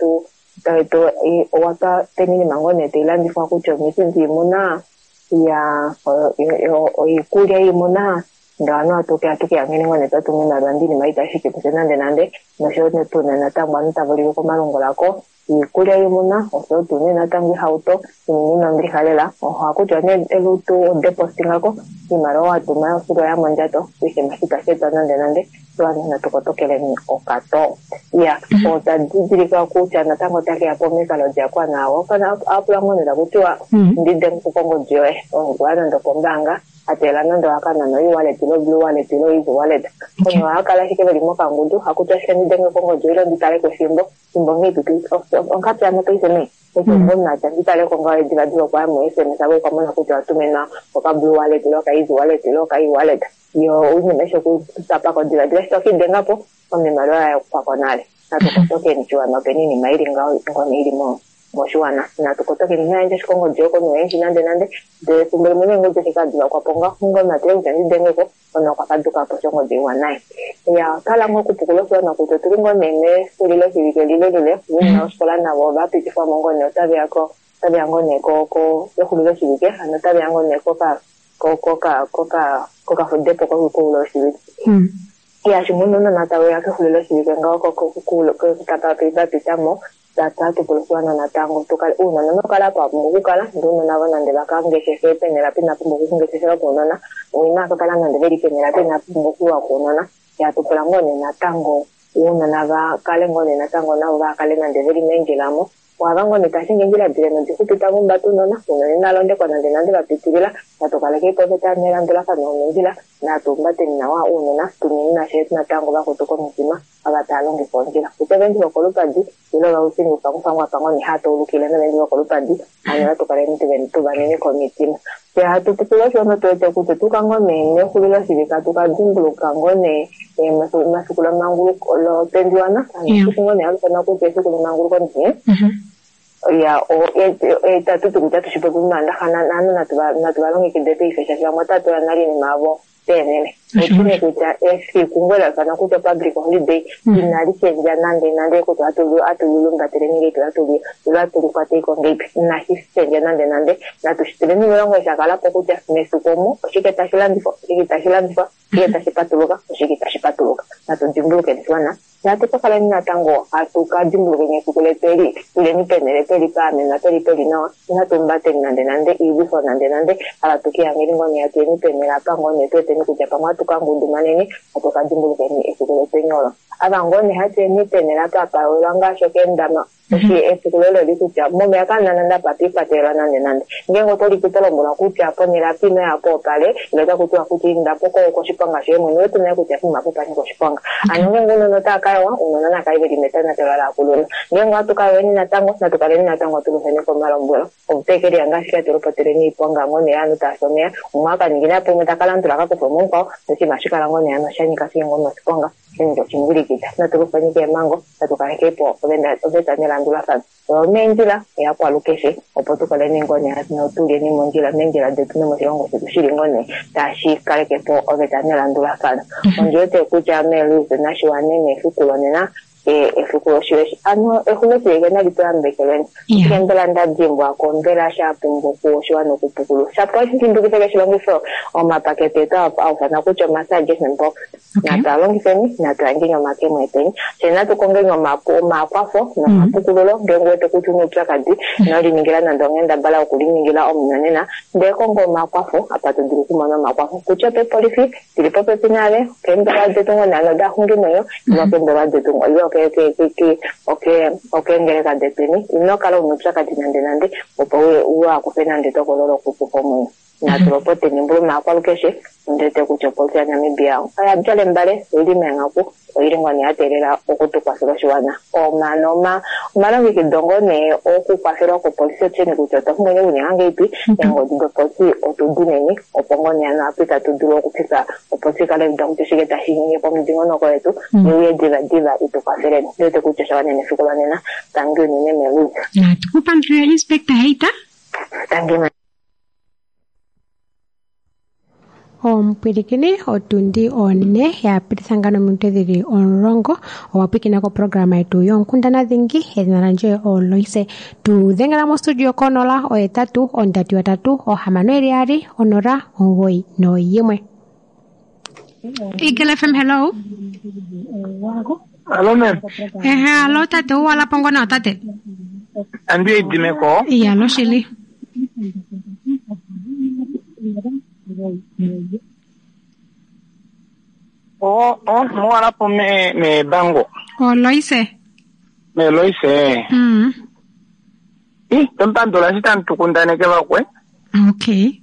watwa peni iinima ngoo nee tailandifwa kutya omiti diimuna Ya oikulya yiimuna ndee ovanhu hatu keyangeni ngoo nee twatuma oimaliwa ndee oinima itashi kufye nande nande noshoyo tuu natango ovanhu tava ulike komalungula ko iikulya yiimuna oshoyo tuu nee natango ihauto iinima ina ombilixa lela ohakutiwa nee elutu odepositingako oimaliwa watuma yoshili oya mondjato oshima itashi etwa nande nande ovanhu natu kotokeleni okato ya otwa didilika kutya natango otakeya pomikalo diakwa naawo apula ngoo nee takutiwa ndidenge kongodi yoye ongwa nande okombaanga ateela nande owakanana o-e-wallet ile o-blue wallet ile o-easy wallet omunhu ohakala ashike veli mokangudu hakuti ashike ndidenge kongodi ile nditaleko efimbo fimbo nghee onghatu yame paife nee efimbo omunhu atya nditaleko ngaho divadiva okwaya mo SMS avo okwamona kutya watuminwa oka blue wallet ile oka easy wallet ile oka e-wallet yo oinima eshi okutapako divadiva eshi tokidengapo oimaliwa yakukwako nale natukotokeni oshiwana opena oinima ili ngaho ngono ili moshiwana natukotokeni inayandja ashike ongodi yoye komunhu oyendji nande nande ndee efimbo limwe neengodi eshi kadivakwako ngaho omunhu atile kutya ndidengeko omunhu okwa fadukapo eshi ongodi iwanaye ya otwahala ngoo okupukula oshiwana kutya otuli ngoo nee mexulilo shivike lilelile ounona vofikola navo ovapitifwamo ngoo nee otaveya ko otaveya ngoo nee ko exulilo shivike hano otaveya ngoo nee koka kokafudepo kokuula oshivike ya shimwe ounona tauya kexulilo shivike ngaho vapitamo tatupula oshiwana natango tukale ounona inokala apa wapumbwa okukala ndee ounona avo nande vakangeshefe penela pina pumbwa okungeshefela kounona inavakala nande veli penela pina pumbwa okuwa kounona yatupula ngoo nee natango ounona vakale ngoo nee natango navo vakale nande veli meendjilamo wava ngoo nee tashingi eendjila dile nodixupi tava humbata ounona ounona inalondekwa nande nande vapitilila natukalekeipo oveta nelandulafano lomondjila natuhumbateni nawa ounona tuneni nashe natango vakutu komitima ava tava longifa ondjila kutya ovaendi vokolupadi ile ovaushini oufangufangwa apa ngoo nee hataulukile novaendi vokolupadi hano natukaleni tuvanene komitima fye hatu pukula oshiwana tuwete kutya tuka ngoo nee mexulilo shivike tukadimbuluka ngoo nee efiku lemanguluko lopendiwana efiku ngoo nee hali kutya efiku lemanguluko nee ya tatuti kutya tushipopi momaandaxa nanu natuvalongekide paife shaashi vamwe otatula nale oinima yavo peenhele otune kutya efiku ngoo laifana kutya public holiday inali shendja nande nande kutya atulilumbatele nenge ile atulikwatei ngeipi inashi shendja nande nande natushituleni milongo shakalapo kutya mefiku omo oshike tashi landifwa oshike itashi landifwa oshike tashi patuluka oshike itashi patuluka natudimbulukeni oshiwana natu kakaleni natango hatu kadimbulukeni efiku letu eli tuleni penhele peli paamenwa peli peli nawa inatu nande nande iilwifo nande nande ava tukiyangeli ngoo nee hatuyeni penhele apa ngoo nee tuweteni kutya pamwe hatu kangundumaneni hatu kadimbulukeni efiku letweni olo ava ngoo nee hatuyeni penhele apa pawelwa ngaashi okeendama eshi efiku lolo li kutya momeya kamuna nande apa twiikwatelelwa nande nande ngeenge otoliti tolombwelwa kutya ponhele apa ino yapo opale ile otakutiwa kutya indapo koshiponga shoye mwene ouwete nale kutya poima apa opanika oshiponga hano ngeenge ounona otava ounona nakale veli metonatelo laakulunhu ngeenge ohatu kayoweni natango natukaleni natango tulufeni komalombwelo omutekeliyanga ashike atulopoteleni oiponga ngoo nee ovanhu taafi omeya umwe akaningina po umwe takalandula akakufa mo mukwao noshinima ohashi ngoo nee hano shanyika ashike ngoo noshiponga shaninga oshingwilikita natulufeni keemhango natukalekepo oveta nelandulafano oyo meendjila oyakwalukeshe opo tukaleni ngoo nee notulyeni mondjila meendjila detu nomoshilongo shetu shili ngoo nee tashi kalekepo oveta nelandulafano ondiwete kutya meeluise nashiwane nefiku lonena efiku loshiweshi ano exuloshivike nali tuyambekelweni ashike mbela ndadimbwako mbela shapumbwa oshiwana okupukulula shapo dimbulukife keshe longifo omapakete etu aufana kutya oma-suggestion box natwalongifeni natuyandjeni omakemo eteni fye natukongeni omakwafo nomapukululo ngeenge uwete kutya una oupyakadi inoliningila nande onghendabala yokuliningila omunyonena ndee konga omakwafo apa todulu okumona omakwafo kutya opepolifi dili popepi nale okeembelewa detu ngoo nee daxungimwenyo ile okeembelewa detu ile okeengeleka detweni inokala una oupyakadi nande nande opo uhakufe nande etokolo lokukufa omwenyo natulopoteni mbuluma yakwalukeshe ondiwete kutya opolisi yaNamibia oya djala embale oili meenghaku oili ngoo nee yateelela okutukwafela oshiwana omano omalongekido ngoo nee okukwafelwa kopolisi otusheni kutya otwa pumbwa okuninga ngeipi eengodi dopolisi otudineni opo ngoo nee hano apa itatu dulu okufika opolisi ikale yuuda kutya oshike tashi inyenge pomudingonoko wetu iuye divadiva itukwafeleni ondiwete kutya oshawanena efiku lonena tangi unene meluisa natukupandule inspector Heita tangi. Omupwilikini otundi 4 ya pititha nominute dhili 10 owa pwikina koprograma yetu yonkundana dhingi. Edhina landje oLoise. Tu dhengela mostudio ko0 8 3 3 6 2 0 9 1. Eagle FM, hello. Hello, ma'am. Ehe, alo tate, uwala pongo na tate. Andi idimeko. Iya, lo shili. O, o, muwala po me, me bango. O Loise. Me Loise. Ih, tompandula shi tantukundaneke vakwe. Okay.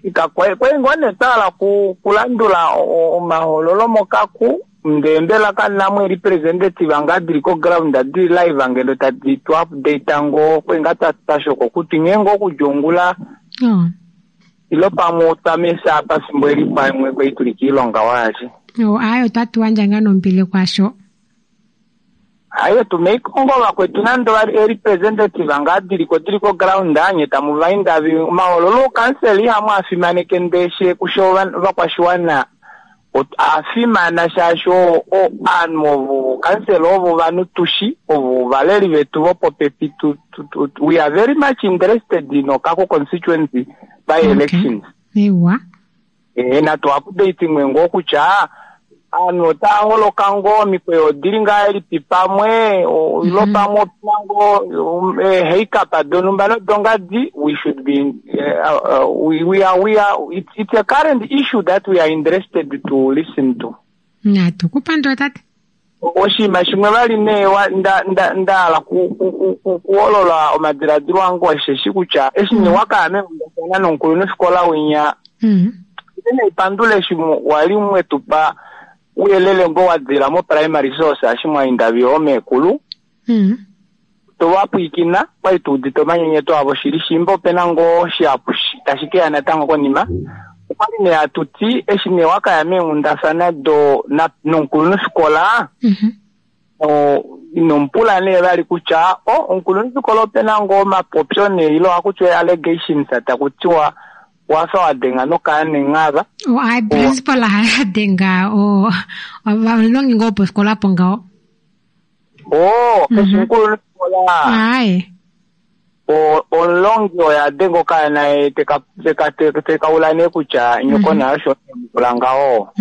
Ikakwe kwe ngone tala ku kulandula omahololo mokaku ndembela kanamwe representative anga diri ko ground diri live angelo tadi tu update ngo kwenga tashoko kuti ngengo kujongula. Ilo pamwe otamesa pafimbo eli pamwe kweituli kiilonga waashi. Oh, ayo tatuwandja nga nombili kwasho. Ayo tumeikongo vakwetu nando vari representative anga diriko diriko ground anye tamuvaindavi mahololo kanseli hamwe afimaneke ndeshe kusho vakwashiwana afimana shasho o anhu kanseli ovo vanhu tushi ovo valeri vetu vopopepi tu, we are very much interested in Okaku constituency by elections. Ewa. Na tu update mwengo kutya anhu otaholoka ngo mikweyo odili ngaa elipi pamwe ilo pamwe opina ngo heikapa donumba nodongadi we should be we are it's a current issue that we are interested to listen to. Natukupandula tate. Oshinima shimwe vali nee ndahala kuholola omadiladilo ange osheshi kutya eshi nee wakaya mekundathana nomukulunhufikola winya neipandula eshi wali mwetupa uyelele ngo wadila mo primary source ashi mwaindavi omeekulu tovapwikina kwali tuudite omanyenyeto avo shili shimba opena ngoo shihapu tashi keya natango konima. Okwali nee atuti eshi nee wakaya meenghundafana do nomukulunhufikola inompula nee vali kutya omukulunhufikola opena ngoo omapopyo nee ilo ohakutiwa allegations takutiwa wafa wadenga nokaanenghava. Ai principal hayadenga ovalongi ngoo pofikola po ngaho. Keshi mukulunhufikola. Ai. Omulongi oye adenga okaana tekaula nee kutya nyoko naye osho mukula ngaho.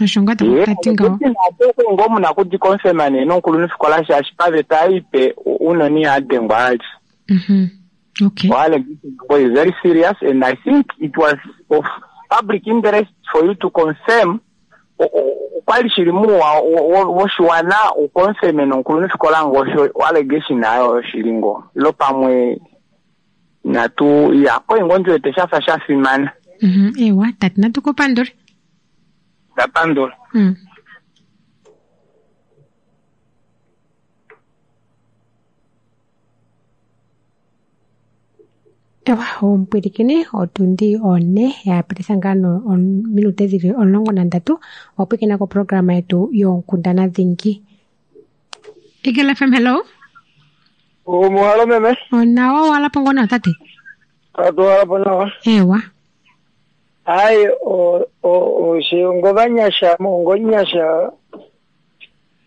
Osho nga tati ngaho. Ngo muna kudikonfirma nee nomukulunhufikola shaashi paveta ipe unoni ihadengwa ali. Okay. Well, is very serious, and I think it was of public interest for you to confirm. Kwali shili muwa woshiwana ukonfirme nomukulunhufikola ngo allegation ayo shili ngo ilo pamwe natu ya koi ngo ndiwete shafa shafimana. Ewa tati natukupandule. Ndapandula. Ewa omupwilikini otundi 4 ya pititha ngaa minute dhili 13 wapwikina koprograma yetu yonkundana dhingi. Eagle FM, hello. Omuhalo meme. Onawa wala pongo na tate. Atu wala po nawa. Ewa. Ai o shiongo vanyasha mongo nyasha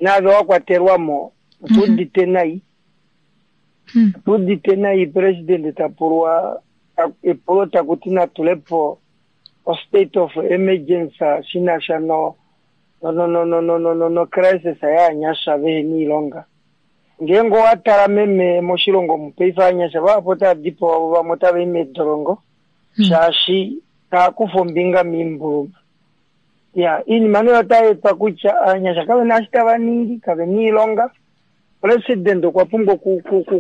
nave wakwatelwamo tudite nai. Tudite nai president tapulwa epulo takuti natulepo o state of emergency shinasha no no crisis yaanyasha veheni ilonga. Ngengo watala meme moshilongo mupeifa anyasha vapo tadipo avo vamwe tava medolongo shaashi taakufa ombinga miimbuluma. Ya iinima nee otayeetwa kutya aanyasha kavena eshi tava ningi kavena iilonga. President okwa pumbwa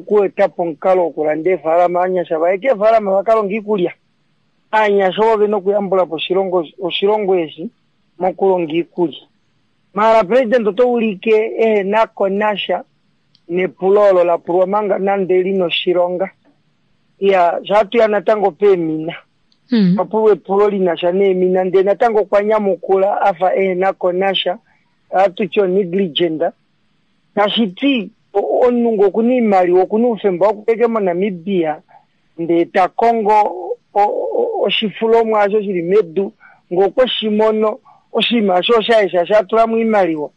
kuetapo omukalo wokulanda eefalama aanyasha vaye keefalama vakalonga iikulya. Aanyasha ovo vena okuyambulapo oshilongo eshi mokulonga iikulya. Mara president oto ulike ehenako nasha nepulo olo lapulwa manga nande lina oshilonga. Ya shatuya natango peemina. Papulwa epulo linasha neemina ndee natango okwa nyamukula afa ehenako nasha atutye negligent. Tashiti omunhu ngo okuna iimaliwa okuna oufemba wokupeke moNamibia ndee takongo oshifulomwa asho shili medu ngee okwe shi mono oshinima osho oshaye shaashi a tula mo oimaliwa.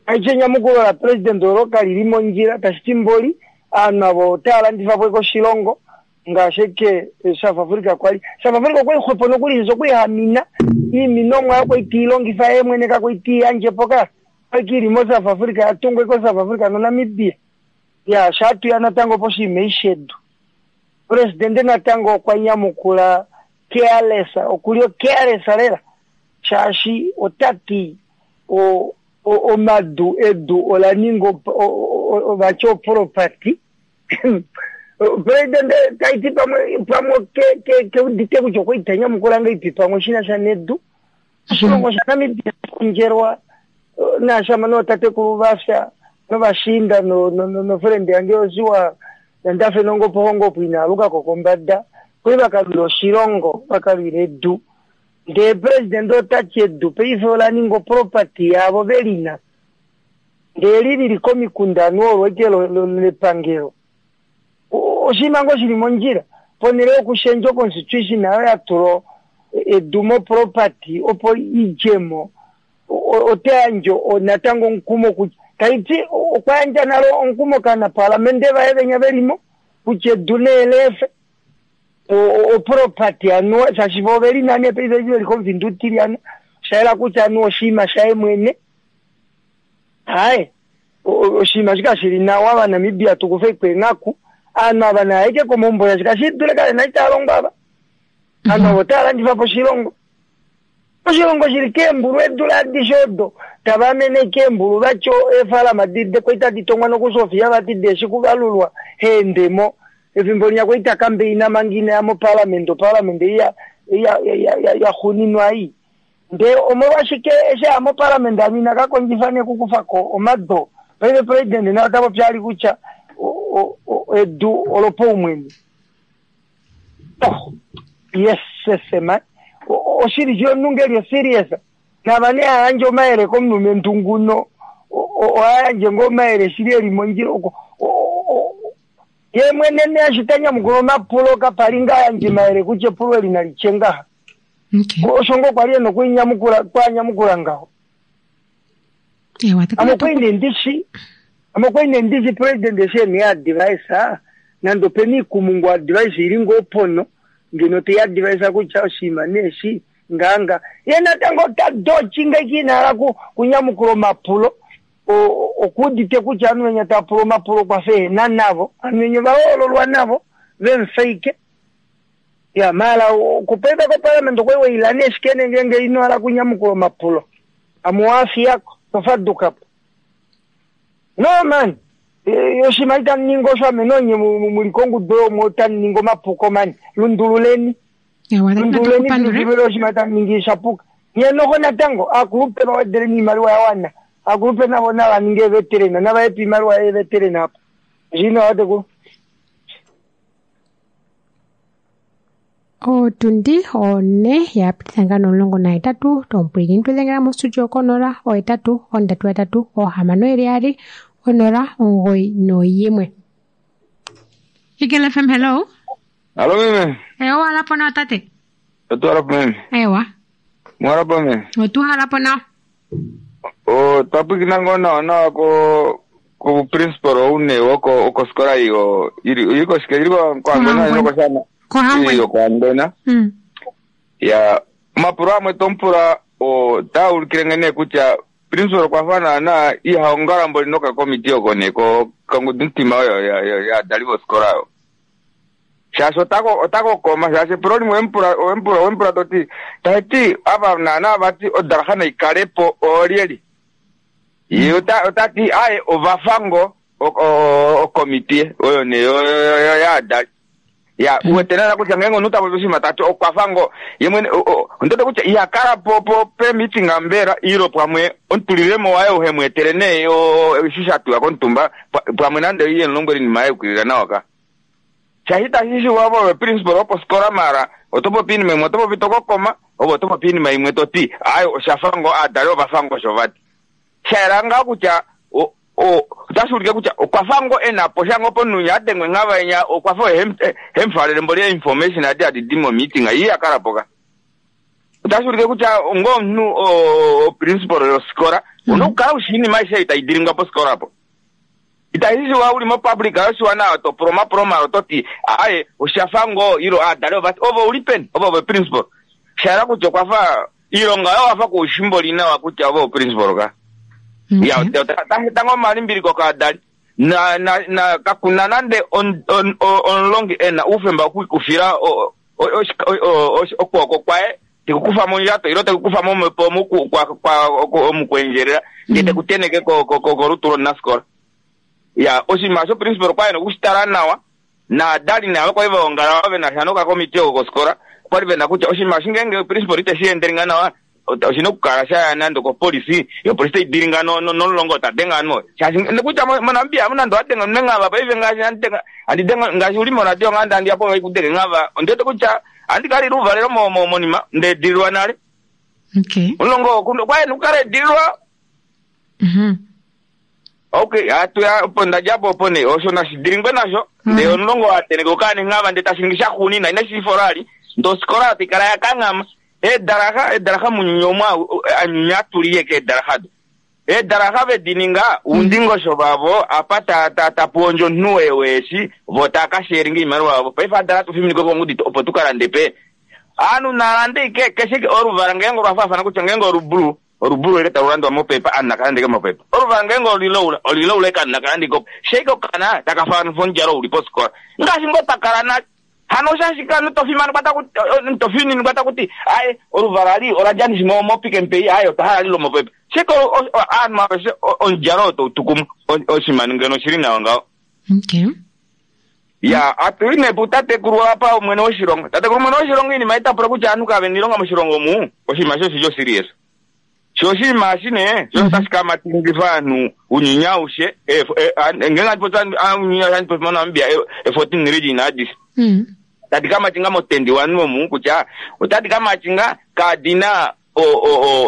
Aishe enyamukulo lapresident olo kalili mondjila tashi ti mboli ovanhu avo otava landifa po oshilongo ngaashi eke South Africa kwali. South Africa okwali xwepo nokuli shaashi okwali hamina iiminomwa oyo kwali teilongifa yee mwene kakwali teiyandje po ka. Okwali ili moSouth Africa yatungwa koSouth Africa noNamibia. Ya shaatuya natango poshinima eshi shedu. Presidente natango okwa nyamukula careless, okuli ocareless lela shaashi otati omadu edu ola ninga vati oproperty. Presidente taiti pamwe pamwe keudite kutya okwali tanyamukula ngahelipi pamwe shinasha nedu. Oshilongo shaNamibia kondjelwa naashamane ootatekulu vafya novashiinda nofrende yange Josua Ndafenongo Pohongopo inaalukako kombada kwali vakalwila oshilongo vakalwila edu. Ndee president otati edu paife ola ninga oproperty yaavo velina ndee li lili komikunda anuwa olo eke lepangelo. Oshinima ngoo shili mondjila ponhele yokushendja oconstitution ayo yatula edu moproperty opo idjemo ota yandje natango omukumo kutya taiti okwa yandja nale omukumo kaanapaalamende vaye venya velimo kutya edu neelefe oproperty anuwa shaashi vo ovelina nee paife eshi veli komufinda utilyana oshayela kutya anuwa oshinima shaye mwene. Haye oshinima eshi kashili nawa Ovanamibia tukufe eenghaku ovanhu ava naayeke komaumbo shaashi kashidule kavena eshi tava longo ava. Ovanhu avo otava landifa po oshilongo. Oshilongo shili keembulu eedula adishe odo tava amene keembulu vati eefalama kwali tadi tongwa nokuSofia vati deeshi kuvalulwa heendemo. Efimbo linya kwali takambeina manga inaya moparliament, oparliament ei yaxuuninwa ei. Ndee omolwashike eshi aya moparliament anu ina ka kondjifa nee okukufako omado. Paife president naye ota popi ali kutya edu olopaumwene. Oh, yes, man. Oshili shi omunhu ngeli oserious. Nava nee ayandje omayele komulumentu nguno ohayandje ngoo omayele shili eli mondjila oko. Ye mwene nee eshi ta nyamukula omapulo kapali ngaa ayandje omayele kutya epulo eli nali tye ngaha. Osho ngoo kwali ena okuinyamukula kwanyamukula ngaho. Ame okwali nee ndishi president eshi ena eadvice nande opena oikumungu advice ili ngoo pono ngeno tei advice kutya oshinima nee eshi ngaanga. Ye natango ota dochi ngaiki inahala kunyamukula omapulo. Okuudite kutya ovanhu venya tava pula omapulo kwafa ehena navo. Ovanhu venya ovahoololwa navo vemufeike. Ya maala okupaife koparliament okwali waila nee shike nee ngeenge ino hala kunyamukula omapulo. Ame owafiyako tofadukapo. No man, oshinima itamu ningi osho ame nonye muli kongudu oyo otamu ningi omapuko man. Lundululeni. Lundululeni filufilo oshinima tamu ningi shapuka. Nye noho natango aakulupe vawedeleni oimaliwa ya wana. Aakulupe navo nava ninge eveterena nava yepe oimaliwa yeveterena apo. Oshili nawa tatekulu. Otundi 4 ya pititha ngaa no18 tomupwilikini tudhengela mostudio ko0 8 3 3 6 2 0 9 1. Eagle FM, hello. Hello meme. Ewa halapo nawa tate. Otu halapo meme. Ewa. Muhalapo meme. Otu halapo nawa. Otwa pwikina ngoo nawa nawa ko principal ou nee woko okosikola iyo ili koshike ili koHangwena ili koShana. Iyo koHangwena. Ya omapulo amwe tomupula otaa ulikile nghene kutya principal okwa fa naana ihaongala mboli nokakomiti oko nee kongudumutima oyo yaadali vosikola oyo. Shaashi otakokoma shaashi epulo limwe owemupula toti tati ava naana vati odalaha naikalepo oolyeli. Ye otati aye ovafango okomiti oyo nee yaadali. Ya uwete naana kutya ngeenge omunhu tapopi oshinima tati okwafango ye mwene ondoto kutya ihakala po pe-meeting mbela ilo pamwe omutulilemo waye uhemweetele nee eshi shatuwa komutumba pamwe nande iye mulombwele oinima yaye yukilila nawa ka. Shaashi itashi shiwa ove principal woposikola mara oto popi oinima imwe oto popi tokokoma ove oto popi oinima imwe toti aye oshafa ngoo aadali ovafa ngoo osho vati. Shayela ngaa kutya Otashi ulike kutya okwa fa ngoo e na po sha ngoo pomunhu a dengwe nghava enya okwa fa oye hemufalele mboli information adi hadi di momeeting ii ya kala po ka. Otashi ulike kutya ngoo omunhu o principal yofikola una okukala ushi iinima aishe ei tai dilingwa pofikola apo. Itashi shiwa uli mopublic yoshiwana to pula omapulo mala oto ti aaye osha fa ngoo ilo aadali ovati ove ouli peni ove ove principal. Sha yela kutya okwa fa iilonga oyo wafa kuushi mboli nawa kutya ove oprincipal ka. Ya, otashi eta ngoo omalimbiliko kaadali. Na, na, na, kakuna nande omulongi e na oufemba okwiikufila okwooko kwaye tekukufa mondjato ilo tekukufa momhepo omukuendjelela ndee tekuteneke kolutu lomunafikola. Ya, oshinima shoprincipal okwali ena okushitala nawa naadali navo kwali vaongala ve na sha nokakomiti oko kofikola okwali vena kutya oshinima eshi ngeenge principal iteshi endelinga nawa oshina okukala shaya nande okopolisi yopolisi tai dilinga nomulongo ta denge ovanhu shaashi kutya moNamibia amu nande owadenga omunhu enghava paife ngaashi handi denge ngaashi uli moradio ngaa handi ya po vaikudenge enghava ondiwete kutya ohandi kala lile ouvalelo monima ndeedililwa nale. Omulongo okwa ena okukala edililwa. Okay, hatu ya opo ndadja po opo nee osho nashi dilingwe nasho ndee omulongo wateneke okaana enghava ndee tashi ningi shaxuunina inashi lifola ali ndee ofikola taikala yakanghama eedalaxa eedalaxa munyunya omwa anyunya atuliye keedalaxa do eedalaxa vedininga oundingosho vavo apa tapuondja omunhu weeshi vo tava kasheelinga oimaliwa yavo paife adala tufiminike kongudi opo tukalande pe ovanhu nalande ike keshe oluvala ngeenge olwafaafana kutya ngeenge olubulu olubulu ele talu landwa mopepa ovanhu nakalandeke mopepa oluvala ngeenge olilaula olilaula eke ovanhu nakalandeke opo sheike okana takafaanifa omudjalo uli pofikola ngaashi ngoo pakala nale hano oshashi kanu tofimanekwa tofininingwa takuti aye oluvala li oladja nishi moPick n Pay aye otwa hala lilo mopepa sheke ovanhu aveshe omudjalo oo tautukumwa oshinima ngeno oshili nawa ngaho. Ya, atuli nee putatekulu apa omwene woshilongo. Tatekulu mwene woshilongo iinima itapula kutya aanhu kavena iilonga moshilongo omu, oshinima sho oshili oserious. Sho oshinima eshi nee, sho otashi ka matingifa ovanhu ounyuni aushe, ngeenge handi popi ounyuni aushe handi popi moNamibia, e-14 region adishe. Tadi ka matinga motendi one omu kutya otadi ka matinga kadina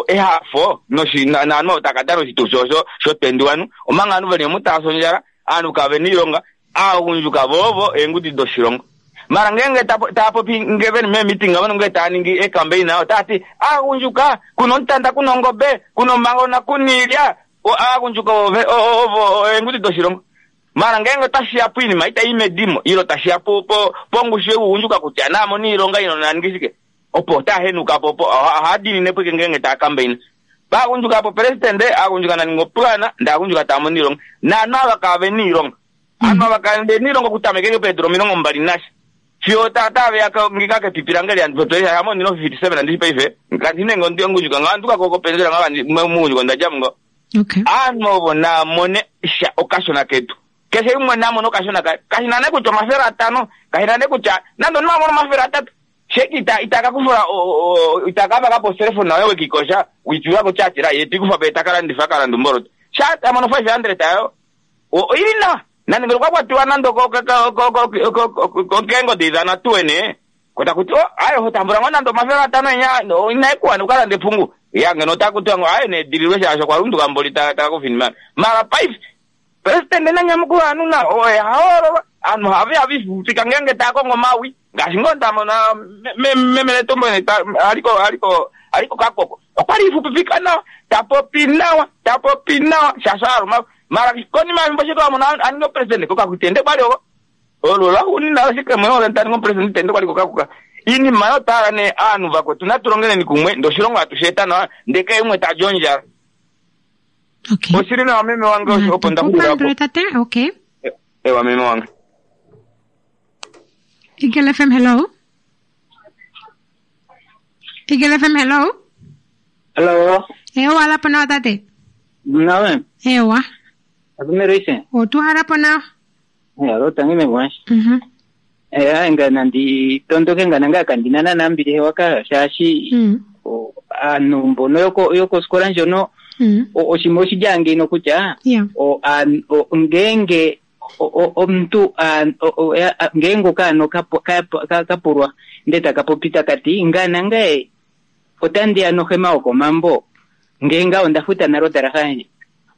ehafo naanhu ovo taka dana oshitufi osho sho 21 omanga ovanhu veli omu tava fi ondjala, ovanhu kavena oilonga, aagundjuka vovo eengudi doshilongo. Mara ngeenge tava popi nge veli meemeeting avo nge tava ningi eecampaign otava ti aagundjuka kuna omutanda kuna ongobe kuna omangona kuna iilya aagundjuka ovo eengudi doshilongo. Mara ngeenge otashiya poinima itai medimo ilo tashiya pongushu yougundjuka kutya naamone oilonga ino naningi shike opo otava henuka po opo ohava diinine po ngeenge tava campaign. Paagundjuka po president aagundjuka naninga opulana ndee aagundjuka tava mono oilonga naanhu ava kavena oilonga. Aanhu ava kavena oilonga okutameka peedula 20 nasha fiyo taveya ngika kepipi lange liandipotwesha amo ndina 57 andishi paife kandi nenge omugundjuka nga anduka kopenzela nga mugundjuka ondadja mungo. Aanhu ovo namone sha okashona ketu keshe umwe namone okashona kaye kashina nee kutya 500 kashina nee kutya nande omunhu amone 300 sheki itakakufula itakavaka po oselefona yoye wekikosha witula kutya ye tikufa pe takalandifa kalanda omboloto sha tamono 500 ayo oili nawa nande ngeno kwakwatiwa nande keengodi idana tuwene kotakuti aye hotambula ngoo nande 500 enya inaikuwana ukalande epungu ya ngeno otakutiwa ngoo aye needililwe shaashi okwa lunduka mboli takakufinima mara paife president nanyamukula ovanhu na oye hahoololwa aanhu have havifupika ngeenge tava kongo omawi ngaashi ngoo ndamona meme Netumbo aliko kakoko okwali ifupipika nawa tapopi nawa tapopi nawa shaashi aluma mara konima yefimbo shike wamona aninga opresident kokakutende kwali oko olo lwaxuunina ashike mwene olo taninga opresident tende kwali kokakuka iinima yotala nee aanhu vakwetu natulongeleni kumwe ndee oshilongo hatu shi eta nawa ndee keshe umwe tali ondjala. Oshili nawa meme wange opo ndaxulila po. Tate, okay. Ewa meme wange. Eagle FM, hello. Eagle FM, hello. Hello. Ewa lapo nawa tate. Nawe. Ewa. Akumeroise. Otuhala po nawa. Alo tangi meme Eh ngana ndi tondoke ngana nga kandina na mbili hewaka shaashi aanhu mbono yokosikola ndjono oshinima oshidja ngeno kutya ngeenge omuntu ngeenge okaana kapulwa ndee taka popi takati ngana ngaye otandi ya nohema yokomambo ngee ngaho onda futa nale odalaxa yandje.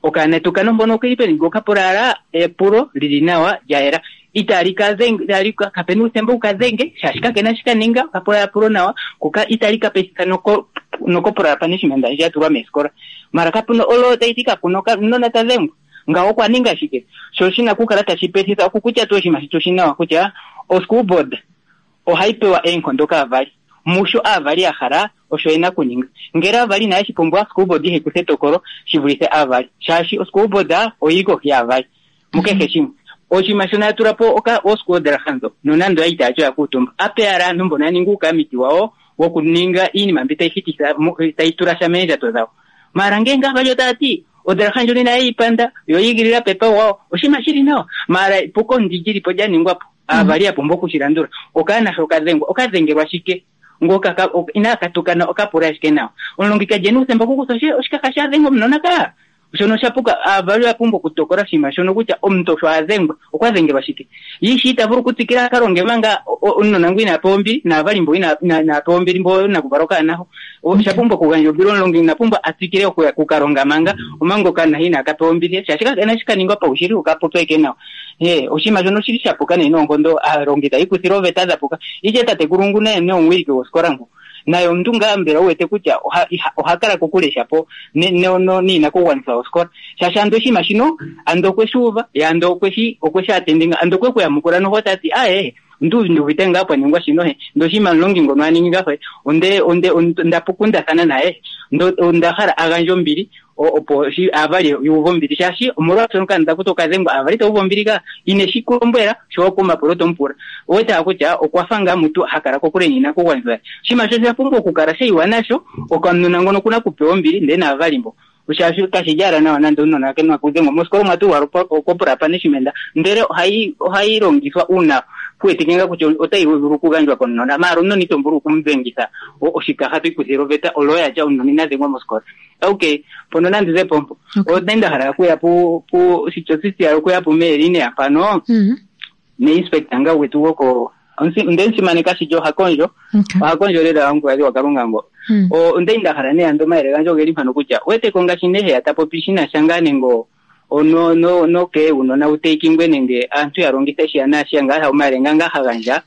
Okaana tukano mpono okeli peni okapula ala epulo lili nawa lya yela. Itali ka dhenge, itali ka, kapena uuthemba wu ka dhenge, shaashi kakena shi ka ninga, okapula epulo nawa, ko ka, itali ka pethitha noko, nokoporal punishment ndji ya tulwa meesikola. Mara kapuna olo tayi ti kapuna okanona ta dhengwa. Ngawo okwa ninga shike? Sho shina okukala tashi pethitha okukutya tuu oshinima shetu oshi nawa kutya o school board ohayi pewa eenkondo kaavali. Musho aavali ya hala osho yena okuninga. Ngele aavali inaye shi pumbwa, school board ihayi kutha etokolo shi vulithe aavali. Shaashi o school board oyili kohi yaavali mukehe shimwe. Oshinima shono ya tula po oka oosquadra ndho, nonando ya itaya ti oya kuutumba. Ape ala aantu mbono ya ninga uukamiti wawo wokuninga iinima mbi tayi hititha, tayi tula sha meendjato dhawo. Maara ngeenge aavali otaya ti odraha ndjono inaye yi panda, yo oyi igilila pepa wawo, oshinima shili nawa. Maara epuko ndi lyi li po lya ningwa po, aavali ya pumbwa oku shi landula. Okaana sho ka dhengwa, oka dhengelwa shike? Ngoka ka, inaa ka tukana oka pula ashike nawa. Omulongi ka li e na uuthemba okukutha oshikaha she a dhenge omunona kaa. Shono osha puka. Aavali oya pumbwa okutokola oshinima shono kutya omuntu sho a dhengwa, okwa dhengelwa shike. Ye ishewe ita vulu okutsikila a ka longe manga omunona ngu inaa pewa ombili, naavali mbo inaa pewa ombili mbo nakuvala okaana ho. Osha pumbwa okugandja ombili, omulongi ina pumbwa a tsikile oku ka longa manga omanga okaana he inaa ka pewa ombili, shaashi inashi ka ningwa paushili, oka popya ashike nawa. Ee, oshinima shono oshili sha puka nee noonkondo, aalongi taya ikuthile ooveta dha puka. Ishewe tatekulu ngu naye nee omuwiliki gosikola ngu. Naye omuntu ngaa mbela wu wete kutya oha, iha, oha kala kokule shapo ne, no, no, niinakugwanithwa yosikola. Shaashi ando oshinima shino, ando okwe shi uva, ye ando okwe shi, okwe shi atendinga, ando okwe ku yamukula noho ta ti, aye, ondu, ndi uvite ngaa pwa ningwa shino he, ndee oshinima omulongi ngono a ningi ngaho he, onde, onde, onda kundathana naye, ndo, onda hala a gandje ombili, opo shi aavali yu uve ombili shaashi omolwashono okaana taku ti okadhengwa aavali ita uvu ombili ka ine shi ku lombwela sho omapulo to mu pula owete kutya okwa fa ngaa mutu ha kala kokule niinakugwanithwa ye oshinima sho osha pumbwa okukala sha yiwa nasho okanona ngono okuna okupewa ombili ndele naavali mbo shaashi kashi li ala nawa nande omunona ke na okudhengwa mosikola omwa tulwa corporal punishment ndele ohayi ohayi longithwa uuna ku wetike ngaa kutya otayi vulu okugandjwa komunona maala omunona ito vulu okumudhengitha oshikaha to ikuthile oveta oloya tya omunona ina dhengwa mosikola Okay, mpono nandi ze po mpo. Onda nda hala okuya pu pu oshitya okuya pu meelinea mpano. Ne inspector nga gwetu gwoko onde mu simaneka shili oha kondjo. Oha kondjo lela omukulukadhi gwaKalunga ngo. Onda nda hala nee ando omayele gandje ogeli mpano kutya wete ko ngaashi nee heya ta popi shi na sha ngaa nenge ono no no kee uunona wu teikingwe nenge aantu ya longithe shiya naashiya ngaa omayele nga ngaa ha gandja.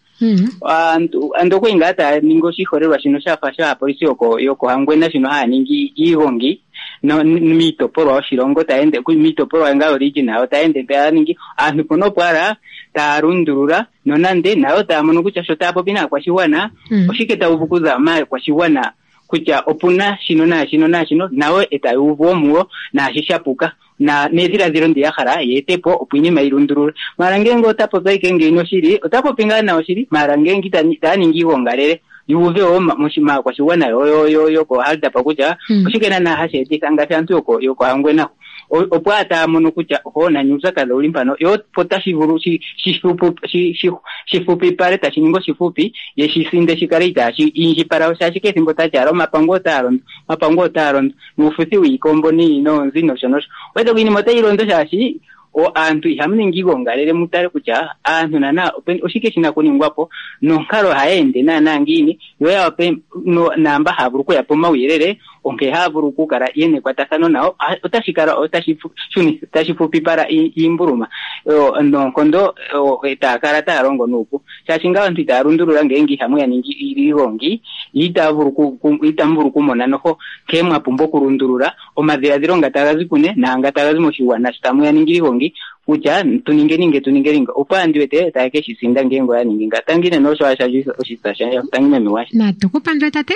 Aantu ando okwali ngaa taya ningi oshiholelwa shino sha fa shaapolisi yoko yokOhangwena shino haya ningi iigongi no, miitopolwa yoshilongo taya ende miitopolwa ngaa yoregion yawo taya ende taya ningi aantu mpono opo ala taya lundulula nonande nayo taya mono kutya sho taya popi naakwashigwana oshike taya uvu kuza maakwashigwana kutya opuna shino naashino naashino nayo e taya uvu wo muyo naashi sha puka na nedhiladhilo ndi ya hala ye ete po opo iinima yi lundulule. Maala ngeenge ota popi ashike ngeyi noshili, ota popi ngaa nawa shili, maala ngeenge itaya ningi iigongalele yu uve wo maakwashigwana yokoHardap kutya oshike naanaa hashi etitha ngaashi aantu yokOhangwena opo a taya mono kutya oho nani uupyakadhi owuli mpano yo opo tashi vulu shi fupipale tashi ningi oshifupi ye shi sinde shi kale itaashi indjipala shaashi kehe ethimbo tati ala omapango otaa londo omapango otaa londo nuufuthi wiikombo noonzi nosho nosho wete iinima otayi londo shaashi aantu ihamu ningi iigongalele mu tale kutya aantu naanaa oshike shi na okuningwa po nonkalo ohayi ende naanaa ngiini yo ya wape naamba haya vulu okuya po omauyelele onkee haya vulu okukala ye na ekwatathano nayo otashi kala otashi fupipala iimbuluma noonkondo e taya kala taya longo nuupu shaashi ngaa aantu itaya lundulula ngeenge ihamu ya ningi iigongi itamu vulu okumona noho nkee mwa pumbwa okulundulula omadhiladhilo nga taga zi kune naanga taga zi moshigwana sho tamu ya ningi iigongi kutya tu ninge ninge tu ninge ninge opo andi wete taye ke shi sinda ngeenge oya ningi nga tangi nene osho asha oshitsa shandje tangi meme wandje. Natu ku pandule tate.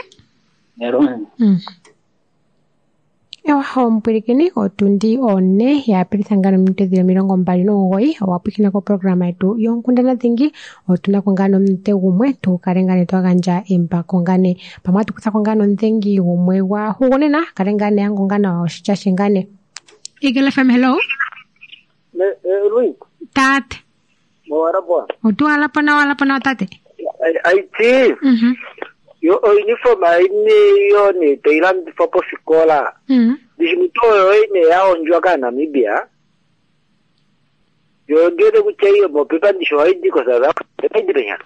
Ewa omupwilikini otundi one ya apilitha ngaa nominute dhili 29 owa pwilikina koprograma yetu yonkundana dhingi otuna ko ngaa nomunute gumwe tu kale ngaa nee twa gandja embako ngaa nee pamwe atu kutha ko ngaa nomudhengi gumwe gwa hugunina kale ngaa nee angonga nawa oshitya she ngaa nee Eagle FM hello Louis tate mowarapo otu walapo nawa walapo nawa tate aiti yo ouniform aini yo ne tayi landithwa posikola ndishi mutu oyo ine ya hondjwa kaaNamibia yo ngele kutya iyo mopepa ndishi ohayi di koSouth Africa ohayi di penya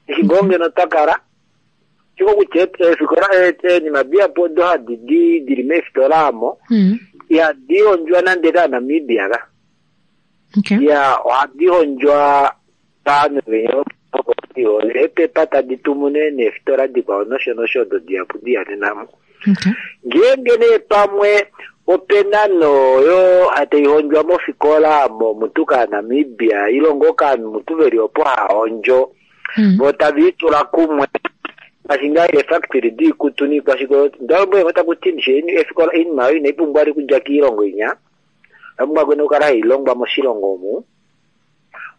ndishi ngoo ngeno twa kala shiko kutya eefikola eenima dihapu odo hadi di dili meefitola amo. Ihadi hondjwa nande kaaNamibia ka. Ya ohadi hondjwa kaanhu venya eepepa tadi tumu nee neefitola dikwao nosho nosho odo dihapu dihanena mo. Ngeenge nee pamwe opena nooyo tai hondjwa mofikola momutu kaaNamibia ile ngoo kaanhu mutu veli opo haa hondjo vo tave i tula kumwe ngaashi ngaa eefactory diikutu niikwashike oyo ndalombwele ngo taku ti ndishi efikola oinima oyo inai pumbwa vali okudja kiilongo inya oya pumbwa kwene okukala hai longwa moshilongo omu.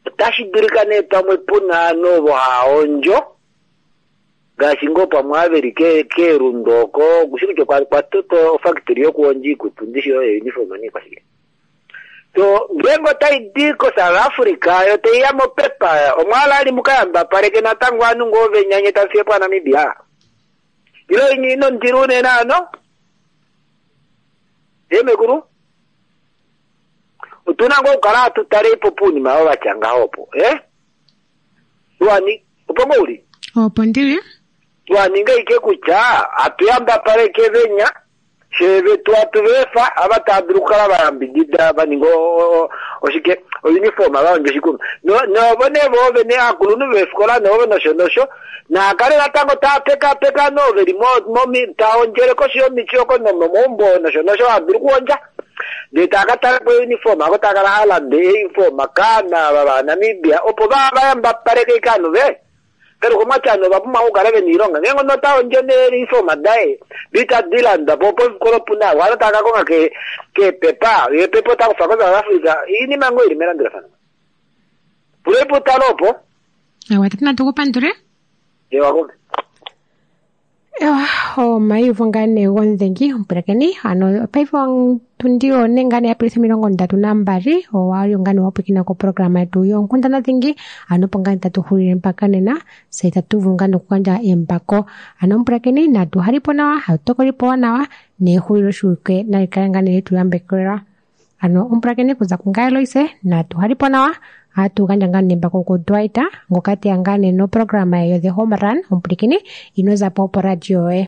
Otashi dulika nee pamwe puna ovanhu ovo haa hondjo ngaashi ngoo pamwe ava veli keelundu oko okushi kutya okwa totwa ofactory yokuhondja iikutu ndishi oyo uniform niikwashike. So ngeenge otai di koSouth Africa yo tai ya mopepa omwa ali muka yambapaleke natango ovanhu ngoo venya nye tamu fiye po aNamibia? Ile inye ino ndilo unene ano? Ee mekulu? Otu na ngoo okukala hatu taleipo puunima oo vatya ngaho opo eh? Tuwani opo ngoo uli? Opo ndili. Twaninga ike kutya hatu yambapaleke venya shee vetu hatu veefa ava tava dulu okukala va yambidida va ninga oshike ouniform va hondja oshikutu novo nee voo vene aakulunhu veefikola novo nosho nosho naa kale natango taa pekapeka no veli taa hondjele koshi yomiti oko nomomaumbo nosho nosho haa dulu okuhondja ndee taa ka tala po uniform ako taa kala haa lande euniform kaana ava vaNamibia opo va yambapaleke ike ovanhu ve Peruko omwati ovanhu ova pumbwa okukala vena oilonga. Ngeenge omunhu ota hondjo neeuniform daye ndee itadi landwa po pofikola opu na ovanhu tava ka konga keepepa, eepepa ota kufa koSouth Africa. Oinima ngoo ili melandulafano. Pulei po utale opo. Ewa, tati natu ku pandule. Ewa kome. Ewa, omaiyuvo ngaa nee gomudhengi omupulakeni ano paife ontundi one ngaa nee ya pilitha 32 owa li ngaa nee wa pwilikina koprograma yetu yoonkundana dhingi ano opo ngaa nee tatu hulile mpaka nena se tatu vulu ngaa nokugandja embako ano omupulakeni natu halipo nawa hatu tokolipo nawa nehuliloshiwike nali kale ngaa nee letu yambekelwa ano omupulakeni kuza kungaye Loise natu halipo nawa atu gandja ngaa nee embako kuDwight ngoka teya ngaa nee noprograma ye yo The Home Run omupulakeni ino zapo poradio yoye.